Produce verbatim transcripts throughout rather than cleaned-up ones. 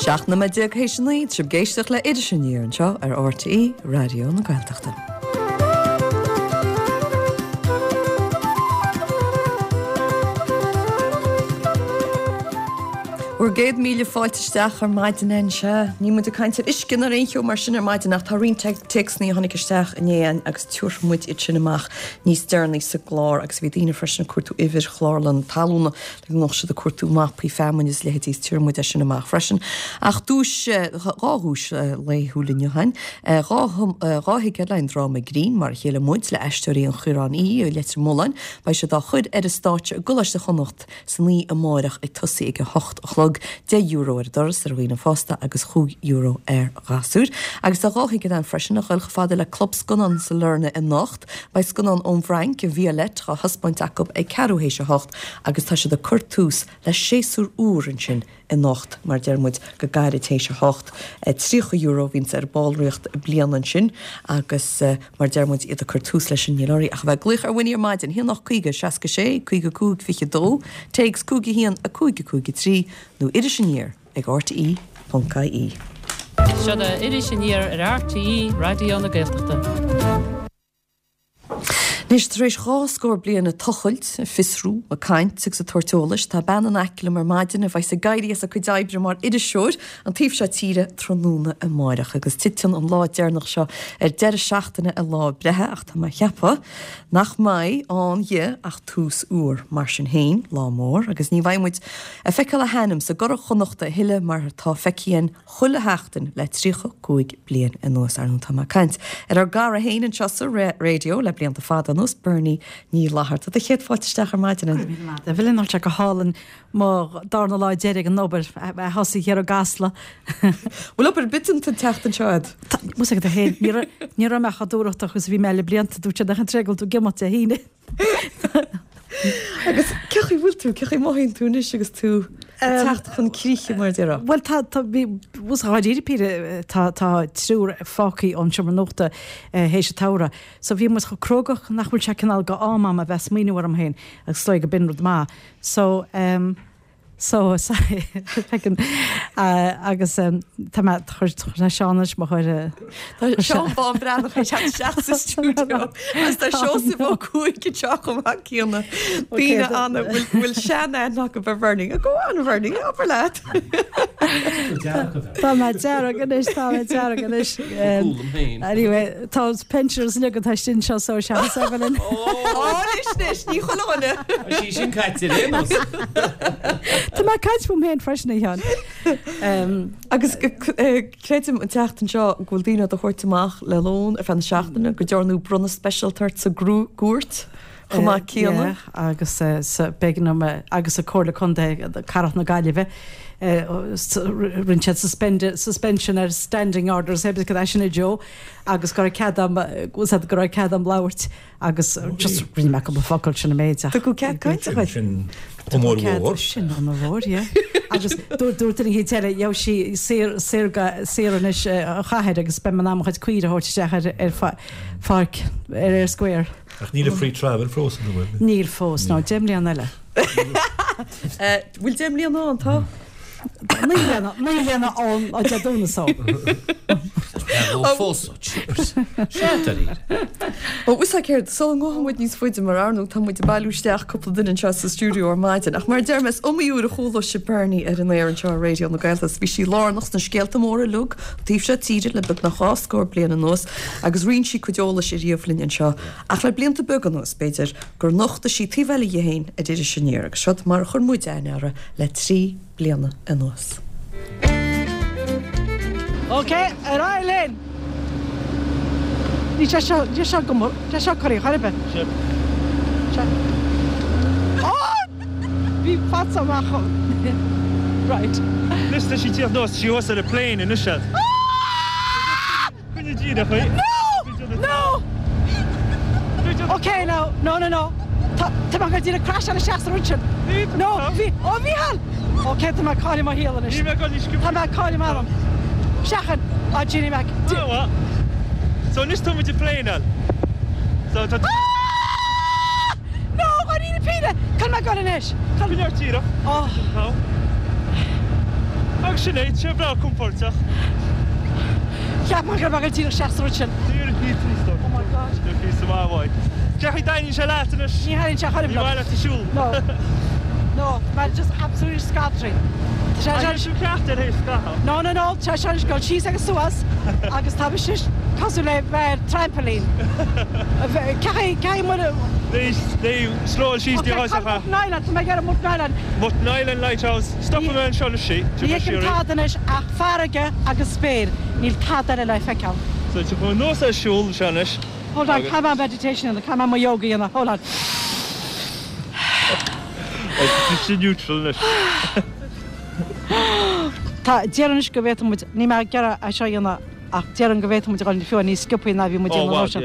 Seacht nóiméad déag théis a naoi, tá sibh ag éisteacht le Iris Aniar anseo ar RTÉ Raidió na Gaeltachta. Bhur gcéad míle fáilte isteach ar maidin anseo. Níl muid ag caint ar uisce ná ar aon cheo mar sin ar maidin ach tá roinnt téacsanna a tháinig isteach inné agus tiúrfaidh muid iad sin amach níos deireanaí sa gclár agus bhí daoine freisin ag cuartú uimhir chlárlann talúna le go mbeadh siad ag cuartú mapaí feamainne is leithéidí is tiúrfaidh muid é sin amach freisin. Ach duais, dhá dhuais laethúil inniu againn, dhá dhá thicéad le haghaidh an dráma grinn Mar a Chéile Muid le Aisteoirí an Chaoráin Uí i Leitir Mealláin. Beidh siad á chur ar an stáitse i gColáiste Chonnacht san oíche amárach ag tosaí ag a hocht a chlog, deich euro ar an doras ar dhaoine fásta agus chúig euro ar ghasúir. Agus tá dhá thicéad ann freisin a dhul chomh fada le Club Scannán Sailearna anocht. Beidh scannán ón bhFrainc, Violette, á thaispeáint acu ag ceathrú théis a hocht agus tá siad ag cur tús le séasúr úr ansin anocht, mar deir muid, go gairid théis a hocht. Tríocha euro a bhíonns ar ballraíocht bliana ansin agus mar deir muid, iad ag cur tús leis an níl oraibh ach a bheith ag glaoch ar Winnie ar maidin, haon ocht caoga seasca sé caoga cúig fiche dó, téacs cúig a haon a cúig a cúig a trí nó Iris Aniar ag RTE ponc IE. Seo é Iris Aniar ar RTÉ Raidió na Gaeltachta. Anois, tar éis dhá scór bliain ag tochailt, ag fiosrú, ag caint agus ag tabhairt eolais, tá bean in aice liom ar maidin a bheas ag éirí as a cuid oibre mar iriseoir an taobh seo tíre tráthnóna amáireach. Agus titeann an lá deireanach seo ar deireadh seachtaine a lá breithe ach tá mé ag ceapadh nach mbeidh ann di ach tús úr. Mar sin féin, lá mór agus ní bheidh muid ag feiceáil a hainm sa gCuradh Chonnachta a thuilleadh mar atá feicthe againn chuile sheachtain le tríocha cúig bliain anuas. Ar ndóigh tá mé ag caint ar ár gcara féin anseo sa raidió le blianta fada anuas, Bernie Ní Fhlatharta. Do chéad fáilte isteach ar maidin. Go raibh míle maith agat. Bhuel, tá sé go hálainn mo darna lá deiridh ag an obair a thosaí thiar i gCasla. Bhfuil obair ar bith déanta an tseachtain seo agat? Tá, bhfuil a fhios agat féin, ní raibh ní raibh mé chomh dúthrachtach agus a bhí mé le blianta, dúirt siad nach an tréigeal tú ag imeacht Dé hAoine. Agus cé chaoi bhfuil tú, cé chaoi mothaíonn tú anois agus tú ag teacht chun críche mar a déarfá? Bhuel tá, tá, bhí, bhfuil dháiríre píre, tá, tá triúr fágthaí ón seomra nuachta théis an tsamhraidh. So bhí muid chomh crógach nach bhfuil sé cineál go am a'm a bheith ag smaoineamh orm féin agus is dóigh go b'in rud maith. So, um, So, sorry, feiceann, agus tá mé, chuir, tá Seán anois mo chuir. Tá Seán Bán Breathnach ag teacht isteach sa stiúideo agus tá Seosamh Ó Cuaig anseo chomh maith céanna. Daoine ann a bhfuil, bhfuil sean-aithne acu ar Bhernie. Go on Bhernie, abair leat. Tá mé dearg anois, tá mé dearg anois. Anyway, tá pensioners uilig atá istigh anseo so seans Evelyn. Ó, anois, anois, ní chuile dhuine. Tá sí sin caite ar aon nós. Tá mé ag caint fúm féin freisin, a Sheáin. Agus creidim an tseachtain seo go bhfuil daoine á do thabhairt amach le lón ar feadh na seachtaine, go ndearnadh bronnadh speisialta ort sa gcúirt chomh maith céanna. Yeah, agus sa, b'éigean dom, agus sa Comhairle Contae Cathrach na Gaillimhe, rinne siad suspension ar standing orders, cé cad é sin a Joe, agus go raibh cead agam, go raibh cead agam labhairt. Agus just rinne mé cúpla focal sin an méid ach. Tugadh cead cainte dhuit. Sin onóir mhór. Sin onóir mhór, yeah. Agus dúirt duine éicint eile, gheobhaidh sí saor, saor, saor anois an chathair agus beidh mé in ann mo chuid caoire a thabhairt isteach ar, ar pháirc, ar Eyre Square. Ach níl an free travel fós, an bhfuil? Níl fós, no, deich mbliana eile. Bhfuil deich mbliana ann, tá? Naoi mbliana, naoi mbliana ann ó Dé Domhnaigh so. Ó fós ó cheapers. Sea, dáiríre. Ó, bhfuil a fhios agat céard, sula ngabhfaidh muid níos faide mar ar ndóigh tá muid ag bailiú isteach cúpla duine anseo sa stiúideo ar maidin ach mar a deir mé is iomaí uair a chuala sibh Bernie ar an aer anseo ar Raidió na Gaeltachta. Bhí sí lárnach sna scéalta móra uilig an taobh seo tíre le beagnach dhá scór bliain anuas agus roinn sí cuid eolais ariamh linn anseo ach le blianta beaga anuas b'fhéidir gur nochtaigh sí taobh eile dhi féin ar Iris Aniar agus seod mar a chuir muid aithne uirthi le trí bliana anuas. Ok, ar aghaidh linn! Níl sé seo, níl sé go, níl sé corraí chor ar bith. Sure. Seo. Ó! Bhí fata amach ó. Right. Anois tá sí ag tíocht anuas, sí thuas ar an plane anois. Coinnigh díreach í. No! No! Ok, now, no, no, no. Tá, tá mé ag dul díreach crasháil isteach sa rud sin. No, bhí, ó Mhícheál! Ok, tá mé ag cailleadh mo shaol anois. Ní bheidh dul níos Tá mé ag cailleadh m'anam. Seachain! Á, Ginny Mac. Ah, well. So anois tá muid ag planeáil. So tá. Ah! No, dáiríre píre! Cá bhfuil mé ag dul anois? Coinnigh díreach. Oh. Agus sin é, sé breá compordach. Cheap mé go raibh díreach seasta rud sin. Díreach níos níos Oh my God. Píosa maith uaidh. Cén chaoi a dtaitníonn sé leat anois? Ní thaitníonn sé chor Ní maith leat ag siúl. No. No, man, just absolutely scattering. Tá sé sin ceart ar thaobh scaitheamh. No, no, no, tá sé ag dul síos agus suas agus tá sé cosúil le bheith trampoline. Cai cai mu Slóil síos dí Mutton Island, tá mé ar Mutton Island. Mutton Island Lighthouse. Stopfaidh mé anseo le sí. Ní fheicim tada anois ach farraige agus spéir, níl tada eile le feiceáil. So tá chun nós ar siúl anseo anois. Hold on, caithfidh mé meditation dhéanamh, caithfidh mé mo yoga dhéanamh, hold on. Tá sé neutral anois. Tá déarfainn anois go bhféadfadh muid, níl mé ag iarraidh é seo a dhéanamh ach déarfainn go bhféadfadh muid a dhul fiú níos sciobthaí ná bhí muid ag déanamh sin.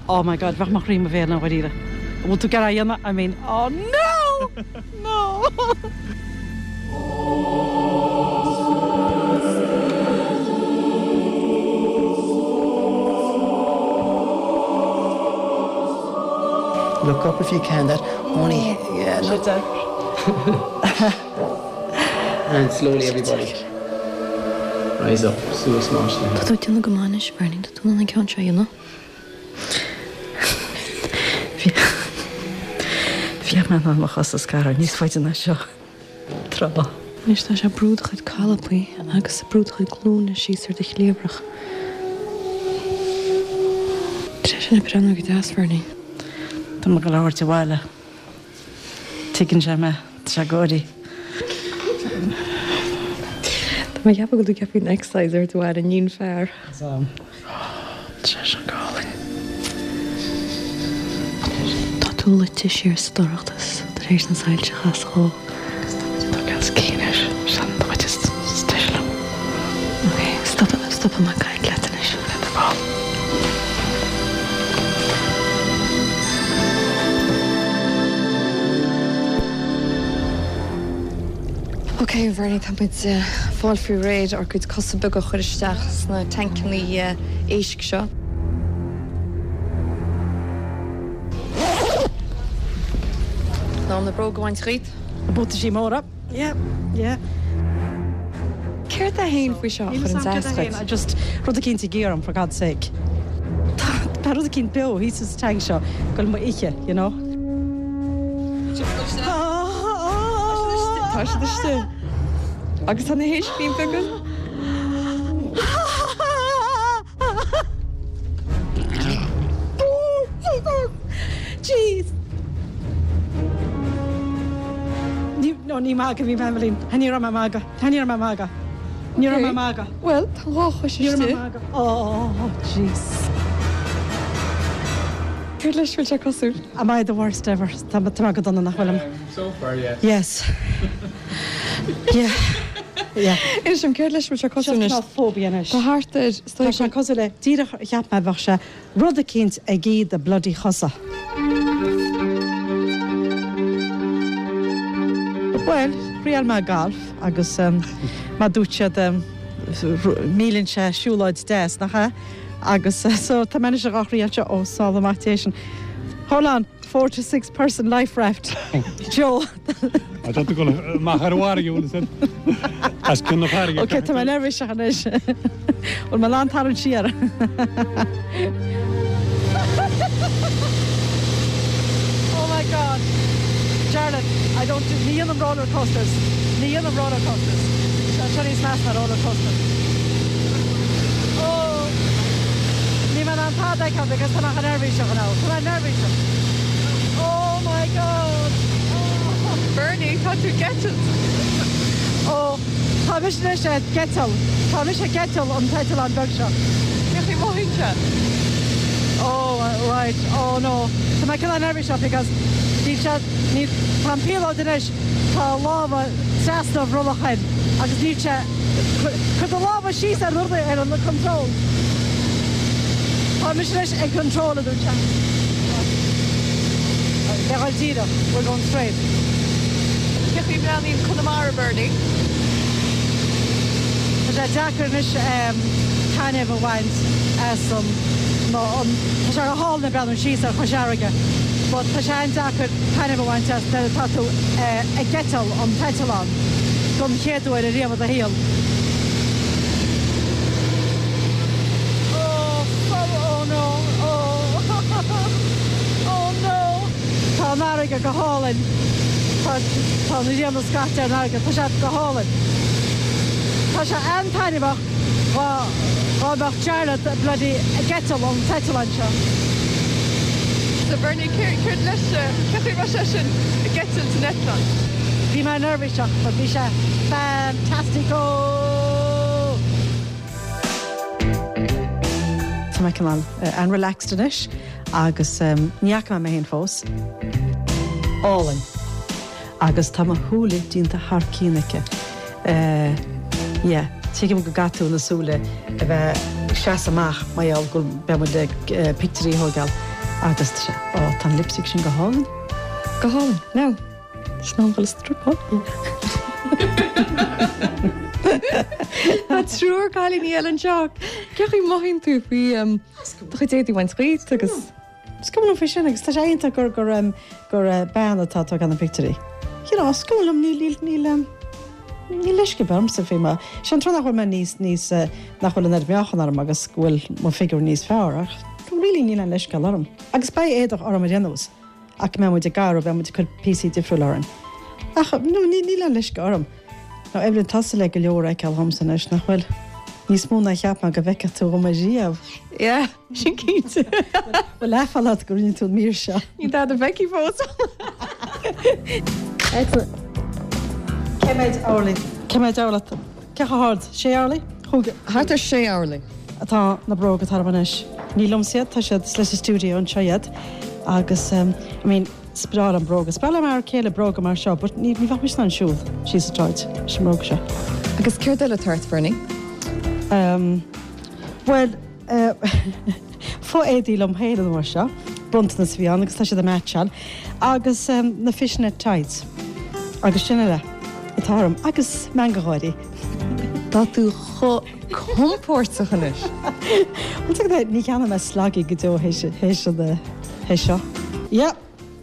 Oh my God, bheadh mo chroí i mo bhéal i ndáiríre. An bhfuil tú ag iarraidh a dhéanamh? I mean, oh no! No! Look up if you can. That only yeah. Look. And slowly everybody. Rise up, suas mar sin. Tá tú ag déanamh go maith anois, Bernie, tá tú in ann an ceann seo a dhéanamh. Bhí mé in ann mo chos a scaradh níos faide ná seo tráth. Anois tá sé ag brú do chuid calapaí agus ag brú do chuid glúine síos ar do chliabhrach. Tá sé sin ag breathnú go deas, Bernie. Tá mé ag dul a thabhairt abhaile. Tuigeann sé mé, tá sé ag gáirí. Tá mé ag ceapadh go bhfuil tú ag ceapadh an exercise ar do bhaile, níon fear. Tá sé sin go hálainn. Tá tú luite siar sa dorchadas tar éis na soilse a chasadh dhó. Tá gas cinn air, sin an chuid is deise liom. Ok, stop, stopfaidh mé ag caint leat anois. Le do thoil. Ok, Bernie, tá muid ag fáil faoi réir ár gcuid cosa beaga a chur isteach sna tancanna éisc seo. Ná na bróga a bhaint dhíot? Na buataisí móra. Yeah, yeah. Céard é féin faoi seo a chuireann as duit? I just rud eicínt ag iarraidh orm, for God's sake. Tá rud eicínt beo thíos sa tanc seo ag dul mo ithe, you know. Tá siad istigh. Agus tá na héiscíní beaga. Jeez. Ní no ní magadh a bhí mé Evelyn. Ní raibh mé ag magadh. Ní raibh mé ag magadh. Ní raibh mé ag magadh. Well, tá dhá chois Ní raibh mé istigh. ag magadh. Oh, jeez. Céard leis bhfuil sé cosúil? Am I the worst ever? Tá tá mé go dona nach bhfuilim. So far, yes. Yes. Yeah. Yeah. Inis dom céard leis bhfuil sé cosúil anois? Seo phobia anois. Tá thart ar Tá sé cosúil le díreach cheap mé bheadh sé rud eicínt ag ithe do bloody chosa. Well, thriail mé golf agus um, má dúirt siad um, míleann sé siúlóid deas nach ea? Agus uh, so tá mé anois ag thriail seo ó sála amach station. Hold on, four to six person life raft. Joe. Tá tú go amach ar an bhfarraige bhfuil as cionn na farraige. Ok, tá mé neirbhíseach anois. Bhfuil mé in ann tarraingt siar. Oh my God. Jarlath, I don't do ní dhéanaim roller coasters. Ní dhéanaim roller coasters. Seo níos measa ná roller coaster. Oh. Níl mé in ann tada a fheiceáil because tá mé neirbhíseach now. Tá mé neirbhíseach. Oh my God. Oh. Bernie, tá tú ag eitilt. Oh, tá mise anois ag eitilt. Tá mise ag eitilt an t-eitleán beag seo. Cén chaoi a mothaíonn sé? Oh, right. Oh no. Tá mé cineál neirbhíseach because níl sé ní tá an píolóta anois tá lámha trasna a bhrollach air agus níl sé Cuir do lámha síos ar rudaí ar an control. Tá mise anois ag control a dúirt sé. Beidh dul díreach, we're going straight. Cén chaoi a mbreathnaíonn Conamara, Bernie? Tá sé deacair anois taitneamh a bhaint as an nó an tá sé go hálainn ag breathnú síos ar Chois Fharraige, but tá sé an-deacair taitneamh a bhaint as nuair atá tú ag eitilt an t-eitleán. Don chéad uair ariamh i do shaol. Oh, oh no, oh, oh no! Tá an fharraige go hálainn. Tá tá na rianta scaite ar an fharraige, tá sé go hálainn. Tá sé an-taitneamhach dhá dhá mbeadh Jarlath bloody ag eitilt ón t-eitleán seo. So Bernie, céard leis, cén chaoi a raibh sé sin ag eitilt san eitleán? Bhí mé neirbhíseach, but bhí sé fantastico! Tá mé cineál an-relaxed anois agus ní fhaca mé mé féin fós. Álainn. Agus tá mo shúile déanta thar cionn aici. Yeah, tuigim go gcaithfidh tú na súile a bheith ag seasamh amach mar gheall go beidh muid ag pictiúirí a thógáil agus tá sé, ó tá an lipstick sin go hálainn. Go hálainn. Now, sin am dhul a struipeáil. Tá triúr cailíní eile anseo. Cén chaoi a mothaíonn tú faoi do chuid éadaí a bhaint díot agus. Is cuma liom faoi sin agus tá sé iontach gur gur gur bean atá ag tógáil na pictiúirí. You know, is cuma liom níl níl níl Níl leisce ormsa faoi mar sin an tráth nach bhfuil mé níos, níos, nach bhfuil an oiread meáchan orm agus go bhfuil mo figiúr níos fearr ach really níl aon leithscéal orm. Agus beidh éadach orm ar aon nós ach go mbeidh muid ag gearradh, beidh muid ag cur píosaí difriúla orainn. Ach no, ní, níl aon leisce orm. Now Evelyn, tá tusa le go leor a fheiceáil dhomsa anois, nach bhfuil? Níos mó ná cheap mé go bhfeicfeadh tú dhom ariamh. Yeah, sin cinnte. Bhfuil aiféala ort go rinne tú an mír seo? Níl dada feicthe fós. Excellent. Cé mhéad orlaí? Cé mhéad orlach? Cé chomh hard? Sé orlaí? Chúig. Thart ar sé orlaí. Atá na bróga atá orm anois. Ní liomsa iad, tá siad, is leis an stiúideo anseo iad. Agus, I mean, is breá liom bróga. Is breá le m'fhear céile bróga mar seo, but ní bheadh mise in ann siúl síos an tsráid leis an mbróg seo. Agus céard eile atá ort, Bernie? Um, bhuel, uh, fo-éadaí liom féin an uair seo, bronntanas a bhí ann agus tá siad ag meaitseáil, agus um, na fishnet tights. Agus sin uile atá orm, agus meangadh gáirí. Tá tú chomh compordach anois. Bhuel, ní cheannóidh mé slagaí go deo théis théis an théis seo. Yeah,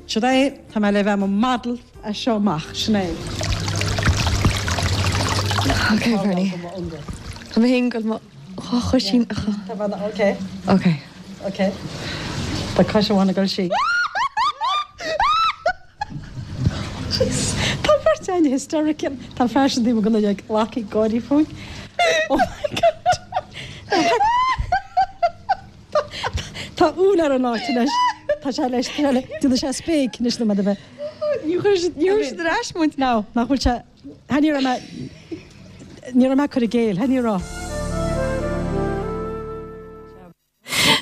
sin é, tá mé le bheith i mo model as seo amach, sin é. Ok, Bernie. Tá mé féin ag dul mo dhá choisín a chur. Ok. Ok. Ok. Tá cois amháin ag dul siar. Tá beirt againn hysterical. Tá fear sin taobh amuigh ag glacadh gáirí fúinn. Oh my God. Tá úll ar an áit anois. Tá sé leis, tá sé le, déanfaidh sé spéic anois nó mar a bheith. Ní chuir siad, ní chuir siad ar ais muid. No, nach bhfuil sé, ha ní raibh mé, ní raibh mé ag cur i gcéill, ha ní raibh.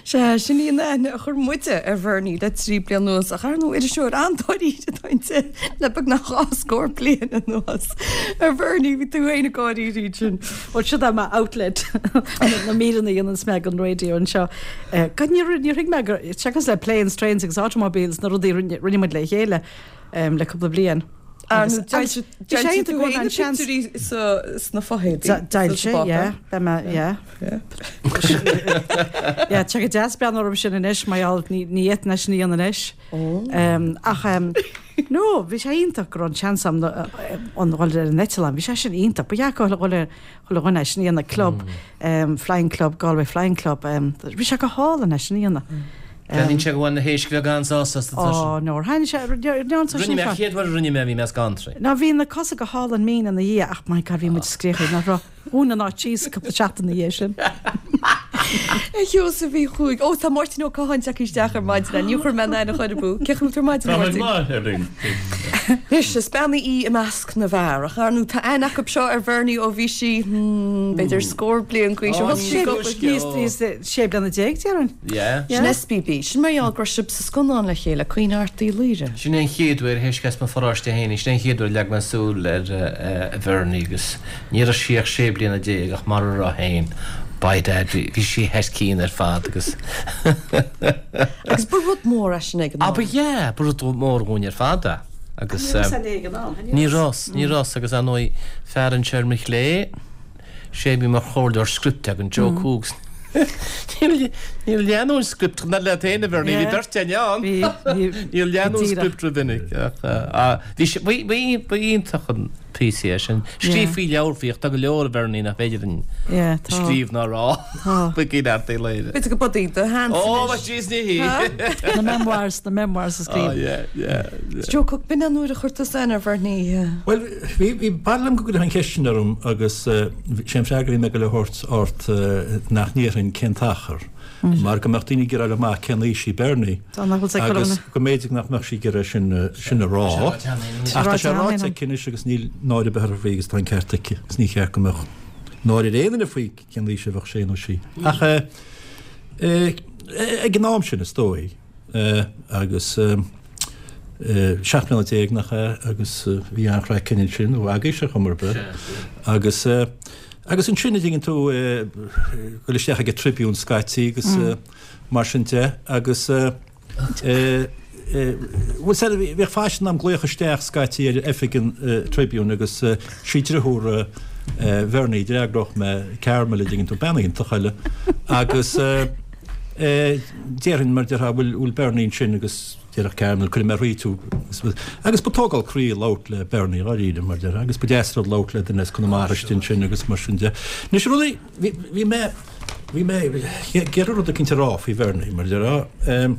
Sea, sin í an aithne a chuir muide ar Bhernie le trí bliana anuas, ach ar ndóigh iriseoir an-dáiríre atá inti le beagnach dhá scór bliain anuas. A Bhernie, bhí tú féin ag gáirí ansin. Bhuel, siod é mo outlet, na míreanna a dhéananns mé don raidió anseo. God, níor níor thuig mé gur, seachas le planes, trains agus automobiles, na rudaí a rinne rinne muid le chéile le cúpla bliain. Agus d'fhoilsigh tú féin na pictiúirí sna fothéadaí. D'fhoilsigh, yeah. Beidh mé, yeah. Yeah, tá sé go deas breathnú orthu sin anois, mar gheall ní fhéadfainn é sin a dhéanamh anois. Ach, no, bhí sé iontach go raibh an seans agam an dhul ar an eitleán. Bhí sé sin iontach. Ba dheacair a dhul ar chuile dhuine é sin a dhéanamh, club, Flying Club, Galway Flying Club. Bhí sé go hálainn é sin a dhéanamh. Breathnaíonn sé go bhfuil na héisc bheaga an-sásta astu tá Ó, no, thaitnigh sé, rinne sé Rinne mé, an chéad uair a rinne mé, bhí mé scanraithe. Ná bhí na cosa go hálainn mín ina dhiaidh ach my God bhí muid scríofa, nach raibh? Dhún an áit síos cúpla seachtain ina dhiaidh sin. A Sheosaimh Uí Chuaig. Ó, tá Máirtín Ó Catháin tagtha isteach ar maidin. Ní chuir mé an aithne chor ar bith. Cén chaoi a bhfuil tú ar maidin, a Tá mé go Mháirtín? maith, Eibhlín. Anois, is bean í i measc na bhfear, ach ar ndóigh tá aithne acu seo ar Bhernie ó bhí sí, hmm, b'fhéidir scór bliain d'aois. Ó thosaigh sí ag obair. Níos, níos, sé bliana déag, déarfainn. Yeah. Sin SBB. Sin mar gheall go raibh sibh sa scannán le chéile, Caoineadh Airt Uí Laoghaire. Sin é an chéad uair, théis as mo pharóiste féin, sin é an chéad uair a leag mé súil ar Bhernie agus ní raibh sí ach sé bliana déag ach mar a raibh féin, by dad, bhí sí thar cionn ar fad agus. Agus ba rud mór é sin ag an Ah, am. ba ea, ba rud mór dhúinn ar fad é. Agus Ní raibh ag an am, ní raibh, ní raibh agus ar ndóigh fear anseo ar mo chlé, sé a bhí mar chomhairleoir scripte againn, Joe Coogs. Níor leanadh an script ná leat féin a Bhernie, bhí beirt againn ann. Níor leanadh an script rómhinic ach bhí sé, ba iontach an Píosa é sin. Scríobh faoi leabhar faoi ach tá go leor a Bhernie nach féidir linn scríobh ná rá. Faoi Neart Uí Laoire. B'fhéidir go b'í do sheans Ó, anois. jeez, ní hí. Na memoirs, na memoirs a scríobh. Oh, yeah, yeah, yeah. Joe Cooke, b'in an uair a chuir tusa aithne ar Bhernie. Bhuel, bhí bhí b'fhada liom go gcuirfeá an cheist sin orm agus sé an freagra a bhí mé ag dul a thabhairt ort nach ndéarfainn cén t-achar. Mar go mbeadh daoine ag iarraidh amach cén aois í Bernie Tá nach bhfuil sé agus curtha go mb'fhéidir nach mbeadh sí ag iarraidh sin sin a rá. Ach tá sé ráite aici anois agus níl náire ar bith uirthi faoi agus tá an ceart aici agus ní cheart go mbeadh náire ar aon duine faoi cén aois a bheadh sé nó sí. Ach eh, eh, ag an am sin is dóigh eh, agus eh, eh, seacht mbliana déag nach ea agus eh, bhí an-chraic ansin ó agaibhse ar chuma ar bith. Agus eh, agus ansin a dtuigeann tú eh, dul isteach ag an Tribune scaití agus Mm. eh, mar sin de agus eh, eh, eh, bhuel said bhíodh faisean am glaoch isteach scaití ar oifig an eh, Tribune agus eh, sí deartháir eh, eh, Bhernie d'fhreagródh mé Carmel a dtuigeann tú bean iontach eile agus eh, eh, déarfainn mar déarfá bhfuil bhfuil Bernie ansin agus déarfadh Carmel cuirfidh mé thríot thú agus ba tógáil croí labhairt le Bernie dháiríre mar déarfá agus ba deas rud labhairt le duine as Conamara ansin agus mar sin de. Anois rudaí bhí bhí mé bhí mé iarraidh rud eicínt a rá faoi Bernie mar déarfá um,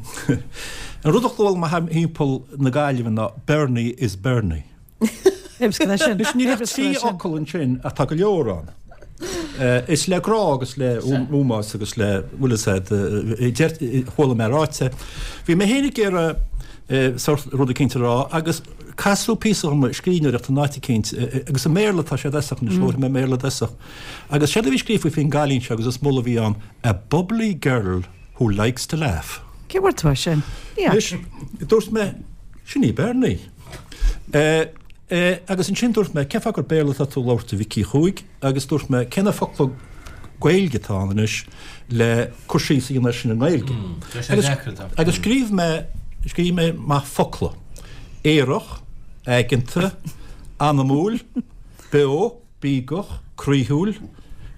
an rud a chuala mé thimpeall na Gaillimhe ná Bernie is Bernie. Anois níl ach trí fhocal ansin ach tá go leor ann. Uh, is le grá agus le ómós agus le bhfuil chuala mé ráite. Bhí mé féin ag iarraidh sort rud eicínt a rá agus casadh píosa dom scríbhneoireacht an áit eicínt agus i mBéarla tá sé desach anois labhair mé Béarla desach. Agus sé a bhí scríofa faoin gcailín seo agus is moladh a bhí ann a bubbly girl who likes to laugh. Cé bhfuair tú é sin? Anois, dúirt mé sin í Bernie. Uh, uh, agus ansin dúirt mé cén fáth gur Béarla atá tú labhairt a Mhicí Chuaig agus dúirt mé cén focla Gaeilge atá ann anois le cur síos a dhéanamh sin i nGaeilge. tá sé Agus, deacair, tá. agus scríobh mé scríobh mé amach focla. Aerach, aigeanta, anamúil, beo, bídeach, croíúil,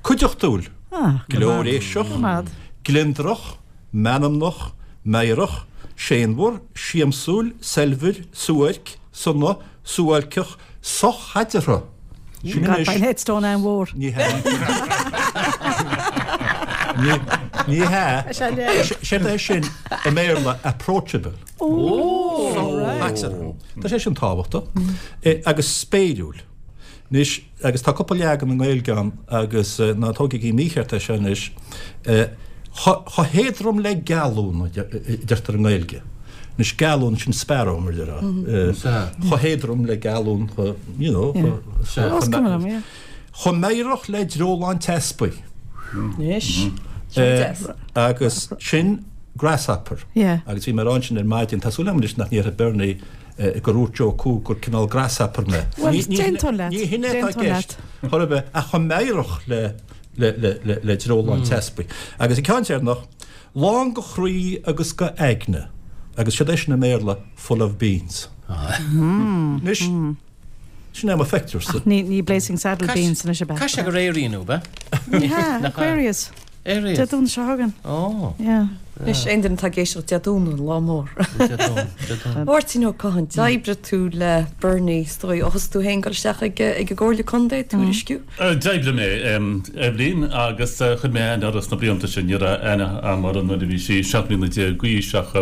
cuideachtúil, Ah, glóiréiseach, gliondrach, meanmnach, meidhreach, séanmhar, siamsúil, saibhir, suairc, sona, suáilceach, sochaidreamh. Sin God, anois- beidh headstone an mhór. Ní hea. Ní ní hea. Sé é sin i mBéarla approachable. Oh, Tá sé sin tábhachtach Eh, agus spéiriúil. Anois agus tá cúpla leagan i nGaeilge ann agus eh, ná tógaigí mícheart é seo anois eh, chomh héadrom le gealún a deirtear i nGaeilge. Anois gealún sin sparrow mar déarfá. Mhm. Eh, Sea. Chomh héadrom le gealún you know, Yeah. chomh- Os cuma liom, yeah. Chomh meidhreach le dreolán teaspaigh. Anois. Eh, agus sin grasshopper. Yeah. Agus bhí mé ag rá sin ar maidin tá súil agam anois nach ndéarfaidh Bernie eh, gur dhúirt Joe Cooke gur cineál grasshopper mé. Well, Ní- ní- déantóin leat. Ní hin é Déantóin ceist chor bith ach chomh meidhreach le le le le le dreolán teaspaigh. Agus an ceann deireanach lán go chroí agus go aigne. Agus siad é sin i mBéarla full of beans. Anois sin é mo phictiúr Ní ní Blazing Saddle Beans anois a bheith. Cá sé go réiríonn be? Yeah, Aquarius. Aquarius. Dé Domhnaigh seo chugainn. Oh. Yeah. Anois aon duine atá ag éisteacht Dé Domhnaigh lá mór. Máirtín Ó Catháin, d'oibrigh tú le Bernie is dóigh ó thosaigh tú féin dul isteach ag ag an gComhairle Contae Tuairisciú. D'oibrigh mé Eibhlín agus chuir mé aithne uirthi sna blianta sin ní raibh aithne agam uirthi nuair a bhí sí seacht mbliana déag d'aois ach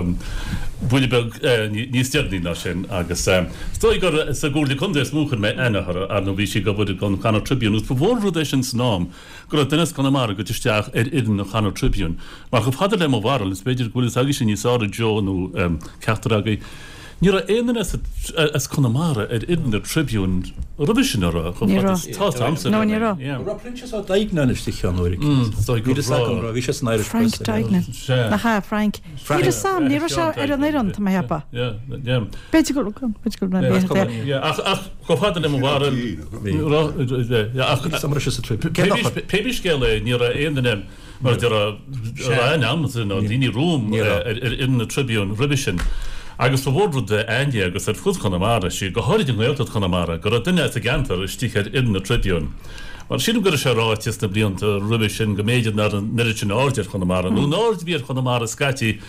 buille beag níos deireanaí ná sin agus is dóigh gur sa gComhairle Contae is mó chuir mé aithne uirthi ar nó bhí sí ag obair don Connacht Tribune agus ba mhór rud é sin san am go raibh duine as Conamara ag goil isteach ar fhoireann an Connacht Tribune. Mar chomh fada le mo bharúil is b'fhéidir go bhfuil fhios agaibhse níos fearr Joe nó ceachtar agaibh. Ní raibh aon duine as Conamara ar fhoireann na Tribune roimhe sin a raibh Ní raibh. tá amsa No, ní raibh. Raibh Proinsias Ó Duignan istigh ann uair bhí sé san Irish Frank Press. Duignan. Nach ea Frank. Ní raibh Sam, ní raibh sé ar an fhoireann tá mé ag ceapadh. B'fhéidir go b'fhéidir go Yeah, ach ach chomh fada le mo bharúil Pé scéal é ní raibh aon duine mar deir an nó daoine romham ar fhoireann na Tribune roimhe sin. Agus ba mhór rud againne agus ar fud Chonamara sí go háirid i nGaeltacht Chonamara go raibh duine as an gceantar istigh ar fhoireann na Tribune. Mar sílim go raibh sé ráite sna blianta roimhe sin go mb'fhéidir nach raibh an oiread sin aird ar Chonamara nó an aird a bhí ar Chonamara scaití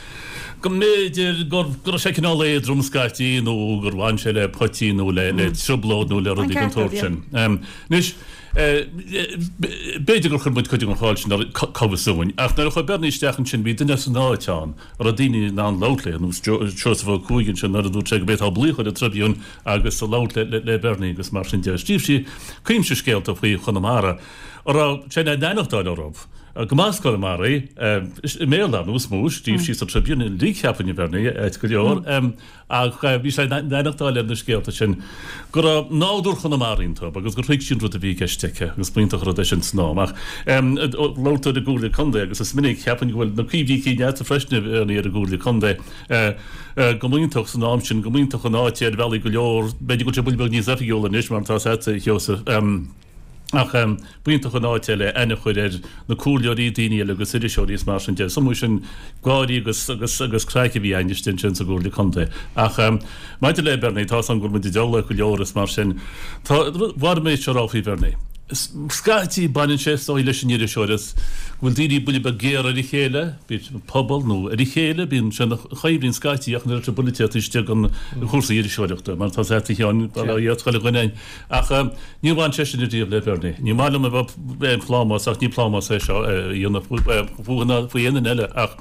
go mb'fhéidir gur go raibh sé cineál éadrom scaití nó gur bhain sé le poitín nó le le trioblóid nó le rudaí den tsórt sin. Anois, b'fhéidir gur chuir muid cuid den cháil sin ar comhasúin, ach nuair a chuaigh Bernie isteach ansin bhí duine as an áit ann a raibh daoine in ann labhairt léi, ar nós Seosamh Ó Cuaig ansin nuair a dúirt sé go b'fhéadfá glaoch ar an Tribune agus labhairt le le Bernie agus mar sin de. Scríobh sí cuimse scéalta faoi Chonamara a raibh sé in ann aireachtáil orthu. Go mb'as Conamara í, i mBéarla ar nós mó, scríobh sí sa Tribune uilig cheapfainn a Bhernie, ait go leor, ach bhí sé in aireachtáil ar na scéalta sin go raibh nádúr Chonamara iontu agus gur thuig sí an rud a bhí i gceist aici agus b'iontach an rud é sin san am. Ach labhair tú ar an gComhairle Contae agus is minic, cheapfainn go bhfuil na cuimhní cinn agatsa freisin a Bhernie ar an gComhairle Contae, go mb'iontach san am sin, go mb'iontach an áit ar bhealaí go leor, b'fhéidir go bhfuil sé buille beag níos oifigiúla anois mar atá agatsa a Sheosaimh. Ach b'iontach an áit é le aithne a chur ar na comhairleoirí, daoine eile agus iriseoirí is mar sin de. Is iomaí sin gáirí agus agus agus craic a bhí againn istigh ansin sa gComhairle Contae. Ach maidir le Bernie, tá 's agam go bhfuil muid ag dul go leor is mar sin. Tá, mhair mé seo a rá faoi Bhernie. Scaití baineann sé is dóigh leis an iriseoireacht go bhfuil daoine buille beag géar ar a chéile, bíodh an pobal nó ar a chéile, bíonn sé ina choimhlint scaití ach an oiread buille taobh istigh den chúrsaí iriseoireachta mar tá 's agat a Sheáin, bail ó Dhia ort chuile dhuine ach níor bhain sé sin ariamh le Bernie. Ní maith liom a bheith plámás ach ní plámás é seo a dhéanamh fúithi ná faoi aon duine eile ach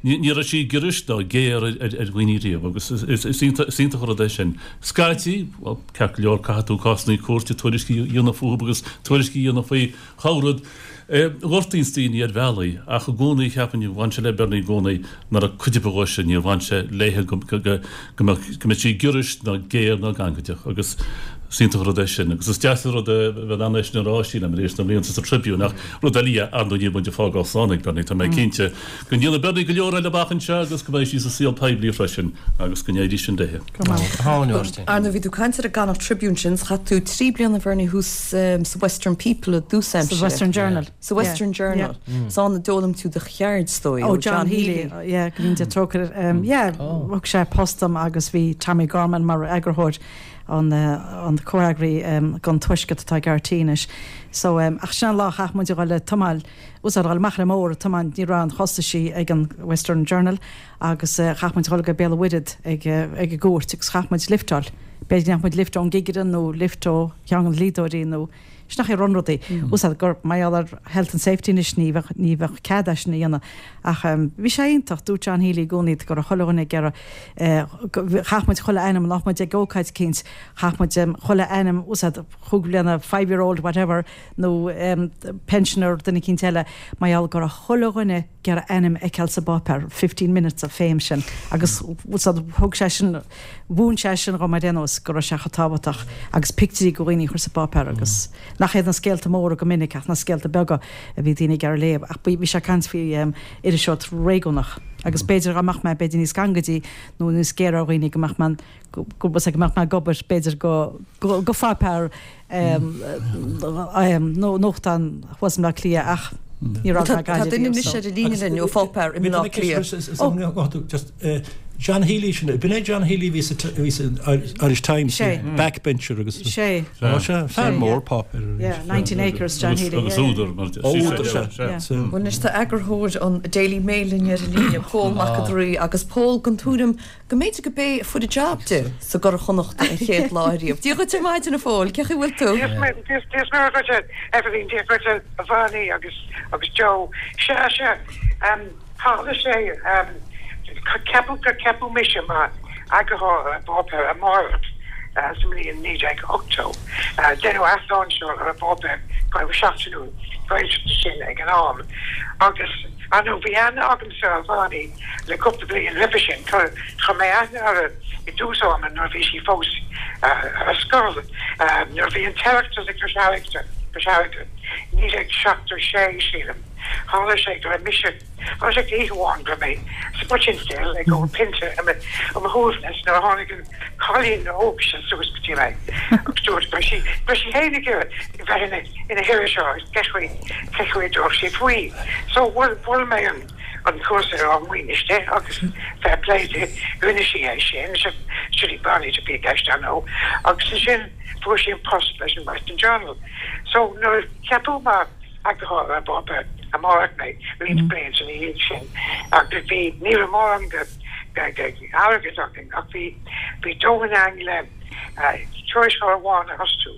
ní raibh sí giorraisc ná géar ar dhaoine riamh agus is iontach an rud é sin. Scaití, bhuel, ceart go leor, caithfidh tú cásanna cúirte tuairiscí a dhéanamh fúthu agus tuairiscí a dhéanamh faoi chorr-rud. Gortaíonns daoine ar bhealaí ach i gcónaí cheapfainn, bhain sé le Bernie i gcónaí nach raibh cuid ar bith dhe sin, níor bhain sé léithe go go mbeadh sí giorraisc ná géar ná gangaideach agus is iontach an rud é sin agus is deas an rud é bheith in ann é sin a rá sílim tar éis na mblianta sa Tribune ach rud eile ar ndóigh níl muid ag fágáil slán ag Bernie, tá mé cinnte go ndéanfaidh Bernie go leor eile amach anseo agus go mbeidh sí sa saol poiblí freisin agus go n-éirí sin léi. Ar ndóigh bhí tú ag caint ar an gConnacht Tribune sin, chaith tú trí bliana Bernie thuas sa Western People i dtús aimsire. Sa Western Journal. Sa Western Journal. Is ann a d'fhoghlaim tú do cheird, is dóigh, ó John Healy. Yeah, go ndéana Dia trócaire air. Yeah, thug sé post dom agus bhí Tommy Gorman mar eagarthóir an an comhfhreagraí don Tuaisceart atá ag RTÉ anois. So ach sin an lá a chaith muid a dhul le tiomáil, úsáid a dhul amach ar an mbóthar ag tiomáint, ní raibh aon chostaisí ag an Western Journal agus chaith muid a dhul go Béal an Mhuirthead ag ag an gcúirt agus chaith muid lifteáil. B'fhéidir go ndeachaigh muid lift ón gcigire nó lift ó cheann de na dlíodóirí nó sin nach é run rudaí. Úsáid gur mar gheall ar health and safety anois ní bheadh ní bheadh cead é sin a dhéanamh. Ach bhí sé iontach, dúirt John Healy i gcónaí go raibh chuile dhuine ag iarraidh chaith muid chuile ainm, nach muid ag ócáid eicínt, chaith muid chuile ainm, úsáid chúig bliana, five year old whatever, nó pensioner duine eicínt eile, mar gheall go raibh chuile dhuine ag iarraidh ainm a fheiceáil sa bpáipéar, fifteen minutes of fame sin. Agus úsáid thug sé sin, mhúin sé sin dhom ar aon nós go raibh sé chomh tábhachtach agus pictiúirí de dhaoine a chur sa bpáipéar agus nach iad na scéalta móra go minic ach na scéalta beaga a bhí daoine ag iarraidh léamh. Ach bhí sé ag caint faoi iriseoireacht réigiúnach agus b'fhéidir dá mbeadh mé b'fhéidir níos gangaidí nó níos géire ar dhaoine go mbeadh mé go go mbeadh mé ag obair b'fhéidir go go pháipéar nó nuachtán thuas i mBleá Cliath ach ní raibh mé Tá duine anois ar an líne linn ó pháipéar i mBleá Cliath. John Healy sin, b'in é John Healy a bhí sa bhí san Irish Times, backbencher agus Sé. Sé, fear mór páipéir. Yeah, nineteen acres John Healy. Agus údar mar Údar sea. Bhuel anois tá eagarthóir an Daily Mail linn ar an líne, Pól Mac an Draoi, agus Pól den tuairim go mb'fhéidir go b'é a fuair an job di sa gCuradh Chonnachta an chéad lá ariamh. Dia dhuit ar maidin a Phóil, cén chaoi a bhfuil tú? Dia is Muire dhuit Eibhlín, Dia dhuit a Bhernie agus agus Joe. Sea, sea, tharla sé, ceapadh gur ceapadh mise mar eagarthóir ar an bpáipéar Amárach sa mbliain naoi déag ochtó. Deineadh athláinseáil ar an bpáipéar seachtainiúil Gaeltachta sin ag an am agus ar ndóigh bhí aithne agamsa ar Bhernie le cúpla bliain roimhe sin. Chuir mé aithne uirthi i dtús ama nuair a bhí sí fós ar scoil, nuair a bhí an tOireachtas i gCois Fharraige, naoi déag seachtó sé sílim. Tharla sé go raibh mise. Tharla sé oíche amháin go raibh mé sa Poitín Stil ag ól pionta ar mo shuaimhneas nuair a tháinig an cailín óg sin suas go dtí mé agus dúirt go raibh sí go raibh sí féin ag iarraidh bheith ina ina hiriseoir agus cé chaoi cé chaoi a dtabharfadh sí faoi. So mhol mhol mé an an cúrsa ar ár maoin di agus fair play di rinne sí é sin, sin í Bernie a bhí i gceist ar ndóigh agus ansin fuair sí an post leis an Western Journal. So nuair a ceapadh mar eagarthóir ar an bpáipéar amárach mé roinnt blianta ina dhiaidh sin agus bhí ní raibh mórán de airgead againn ach bhí bhí dóthain againn le tuairisceoir amháin a fhostú,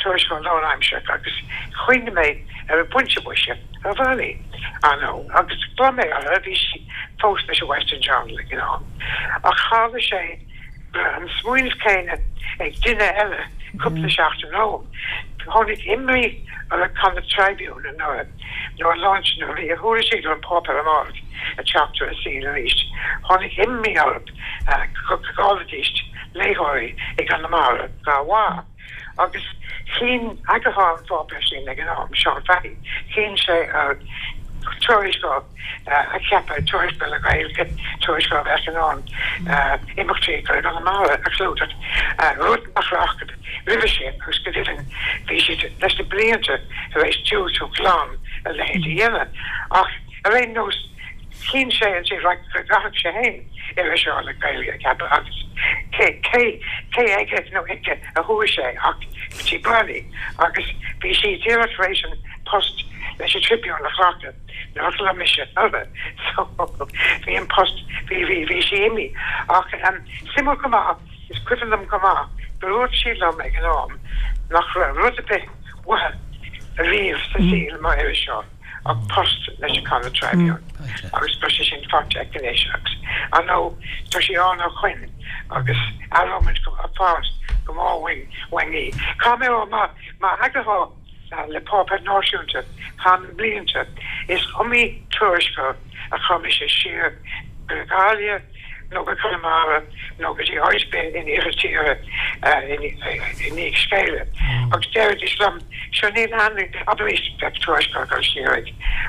tuairisceoir lánaimseartha agus chuimhnigh mé ar an bpointe boise ar Bhernie, ar ndóigh, agus ghlaoigh mé uirthi, bhí sí fós leis an Western Journal ag an am. Ach tharla sé go raibh an smaoineamh céanna ag duine eile cúpla seachtain romham. Tháinig imní ar an Connacht Tribune anuraidh nuair a launch nuair a bhí a thuairiscí ar an bpáipéar amárach ag teacht ar an saol arís. Tháinig imní orthu go gcaillfidís léitheoirí i gConamara dá bharr. Agus chinn eagarthóir an pháipéir sin ag an am, Seán Fahy, chinn sé ar tuairisceoir a cheapadh, tuairisceoir le Gaeilge, tuairisceoir a bheadh in ann imeachtaí i gConamara a chlúdach, rud nach raibh acu roimhe sin agus go deimhin bhí siad leis na blianta tar éis diúltú glan a leithéid a dhéanamh. Ach ar aon nós, chinn sé ansin go gcaithfeadh sé féin iriseoir le Gaeilge a cheapadh agus cé cé aige nó aici a chuaigh sé ach go dtí Bernie agus bhí sí díreach tar éis an post leis an Tribune a ghlacadh nuair a ghlaoigh mise uirthi so bhí an post bhí bhí bhí sí imithe ach suimiúil go maith is cuimhin liom go maith gur dhúirt sí liom ag an am nach raibh rud ar bith uaithi ariamh sa saol mar iriseoir ach post leis an Connacht Tribune agus tá sé sin faighte aici anois agus ar ndóigh tá sí ann ó shoin agus aireoimid go a fás go mór uainn uainn í. Caithfidh mé a rá mar mar eagarthóir le páipéar náisiúnta thar na blianta is iomaí tuairisceoir a chuir mise siar go Gaillimh nó go Conamara nó go dtí áit ar bith in iarthar tíre i ndiaidh scéala agus deiridís liom sure níl aithne abraimis bheadh tuairisceoir ag dul siar ag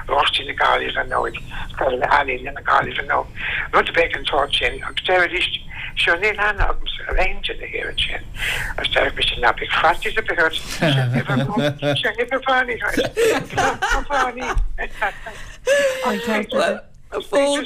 Oráistí na Gaillimhe nó ag Scoil Ealaíne na Gaillimhe nó rud ar bith den tsórt sin agus deiridís sure níl aithne agamsa ar aon duine thiar ansin agus deireadh mise ná bíodh faitíos ar bith ort seo uimhir seo uimhir Bhernie dhuit Bhernie. Bhuel,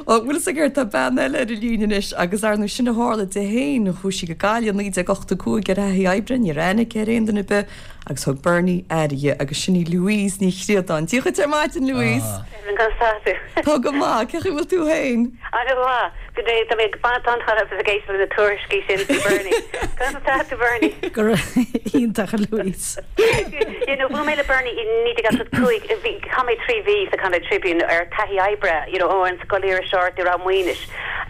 bhfuil fhios agat tá bean eile ar an líne anois agus ar ndóigh sin a tharla di féin, chuaigh sí go Gaillimh i naoi déag ochtó cúig ar thaithí oibre, ní raibh aithne aici ar aon duine ar bith agus thug Bernie aire di agus sin í Louise Ní Chríodáin. Dia dhuit ar maidin, Louise. Conas tá tú? Tá go maith, cén chaoi a bhfuil tú féin? An-mhaith. Tá mé ag baint an-taitneamh as ag éisteacht leis na tuairiscí sin faoi Bernie. Conas atá tú, Bernie? Go hiontach, a Louise. You know, bhuail mé le Bernie i naoi déag ochtó cúig, bhí, chaith mé trí mhí sa Connacht Tribune ar taithí oibre, you know, ó an scoil iriseoireachta i Ráth Maoinis.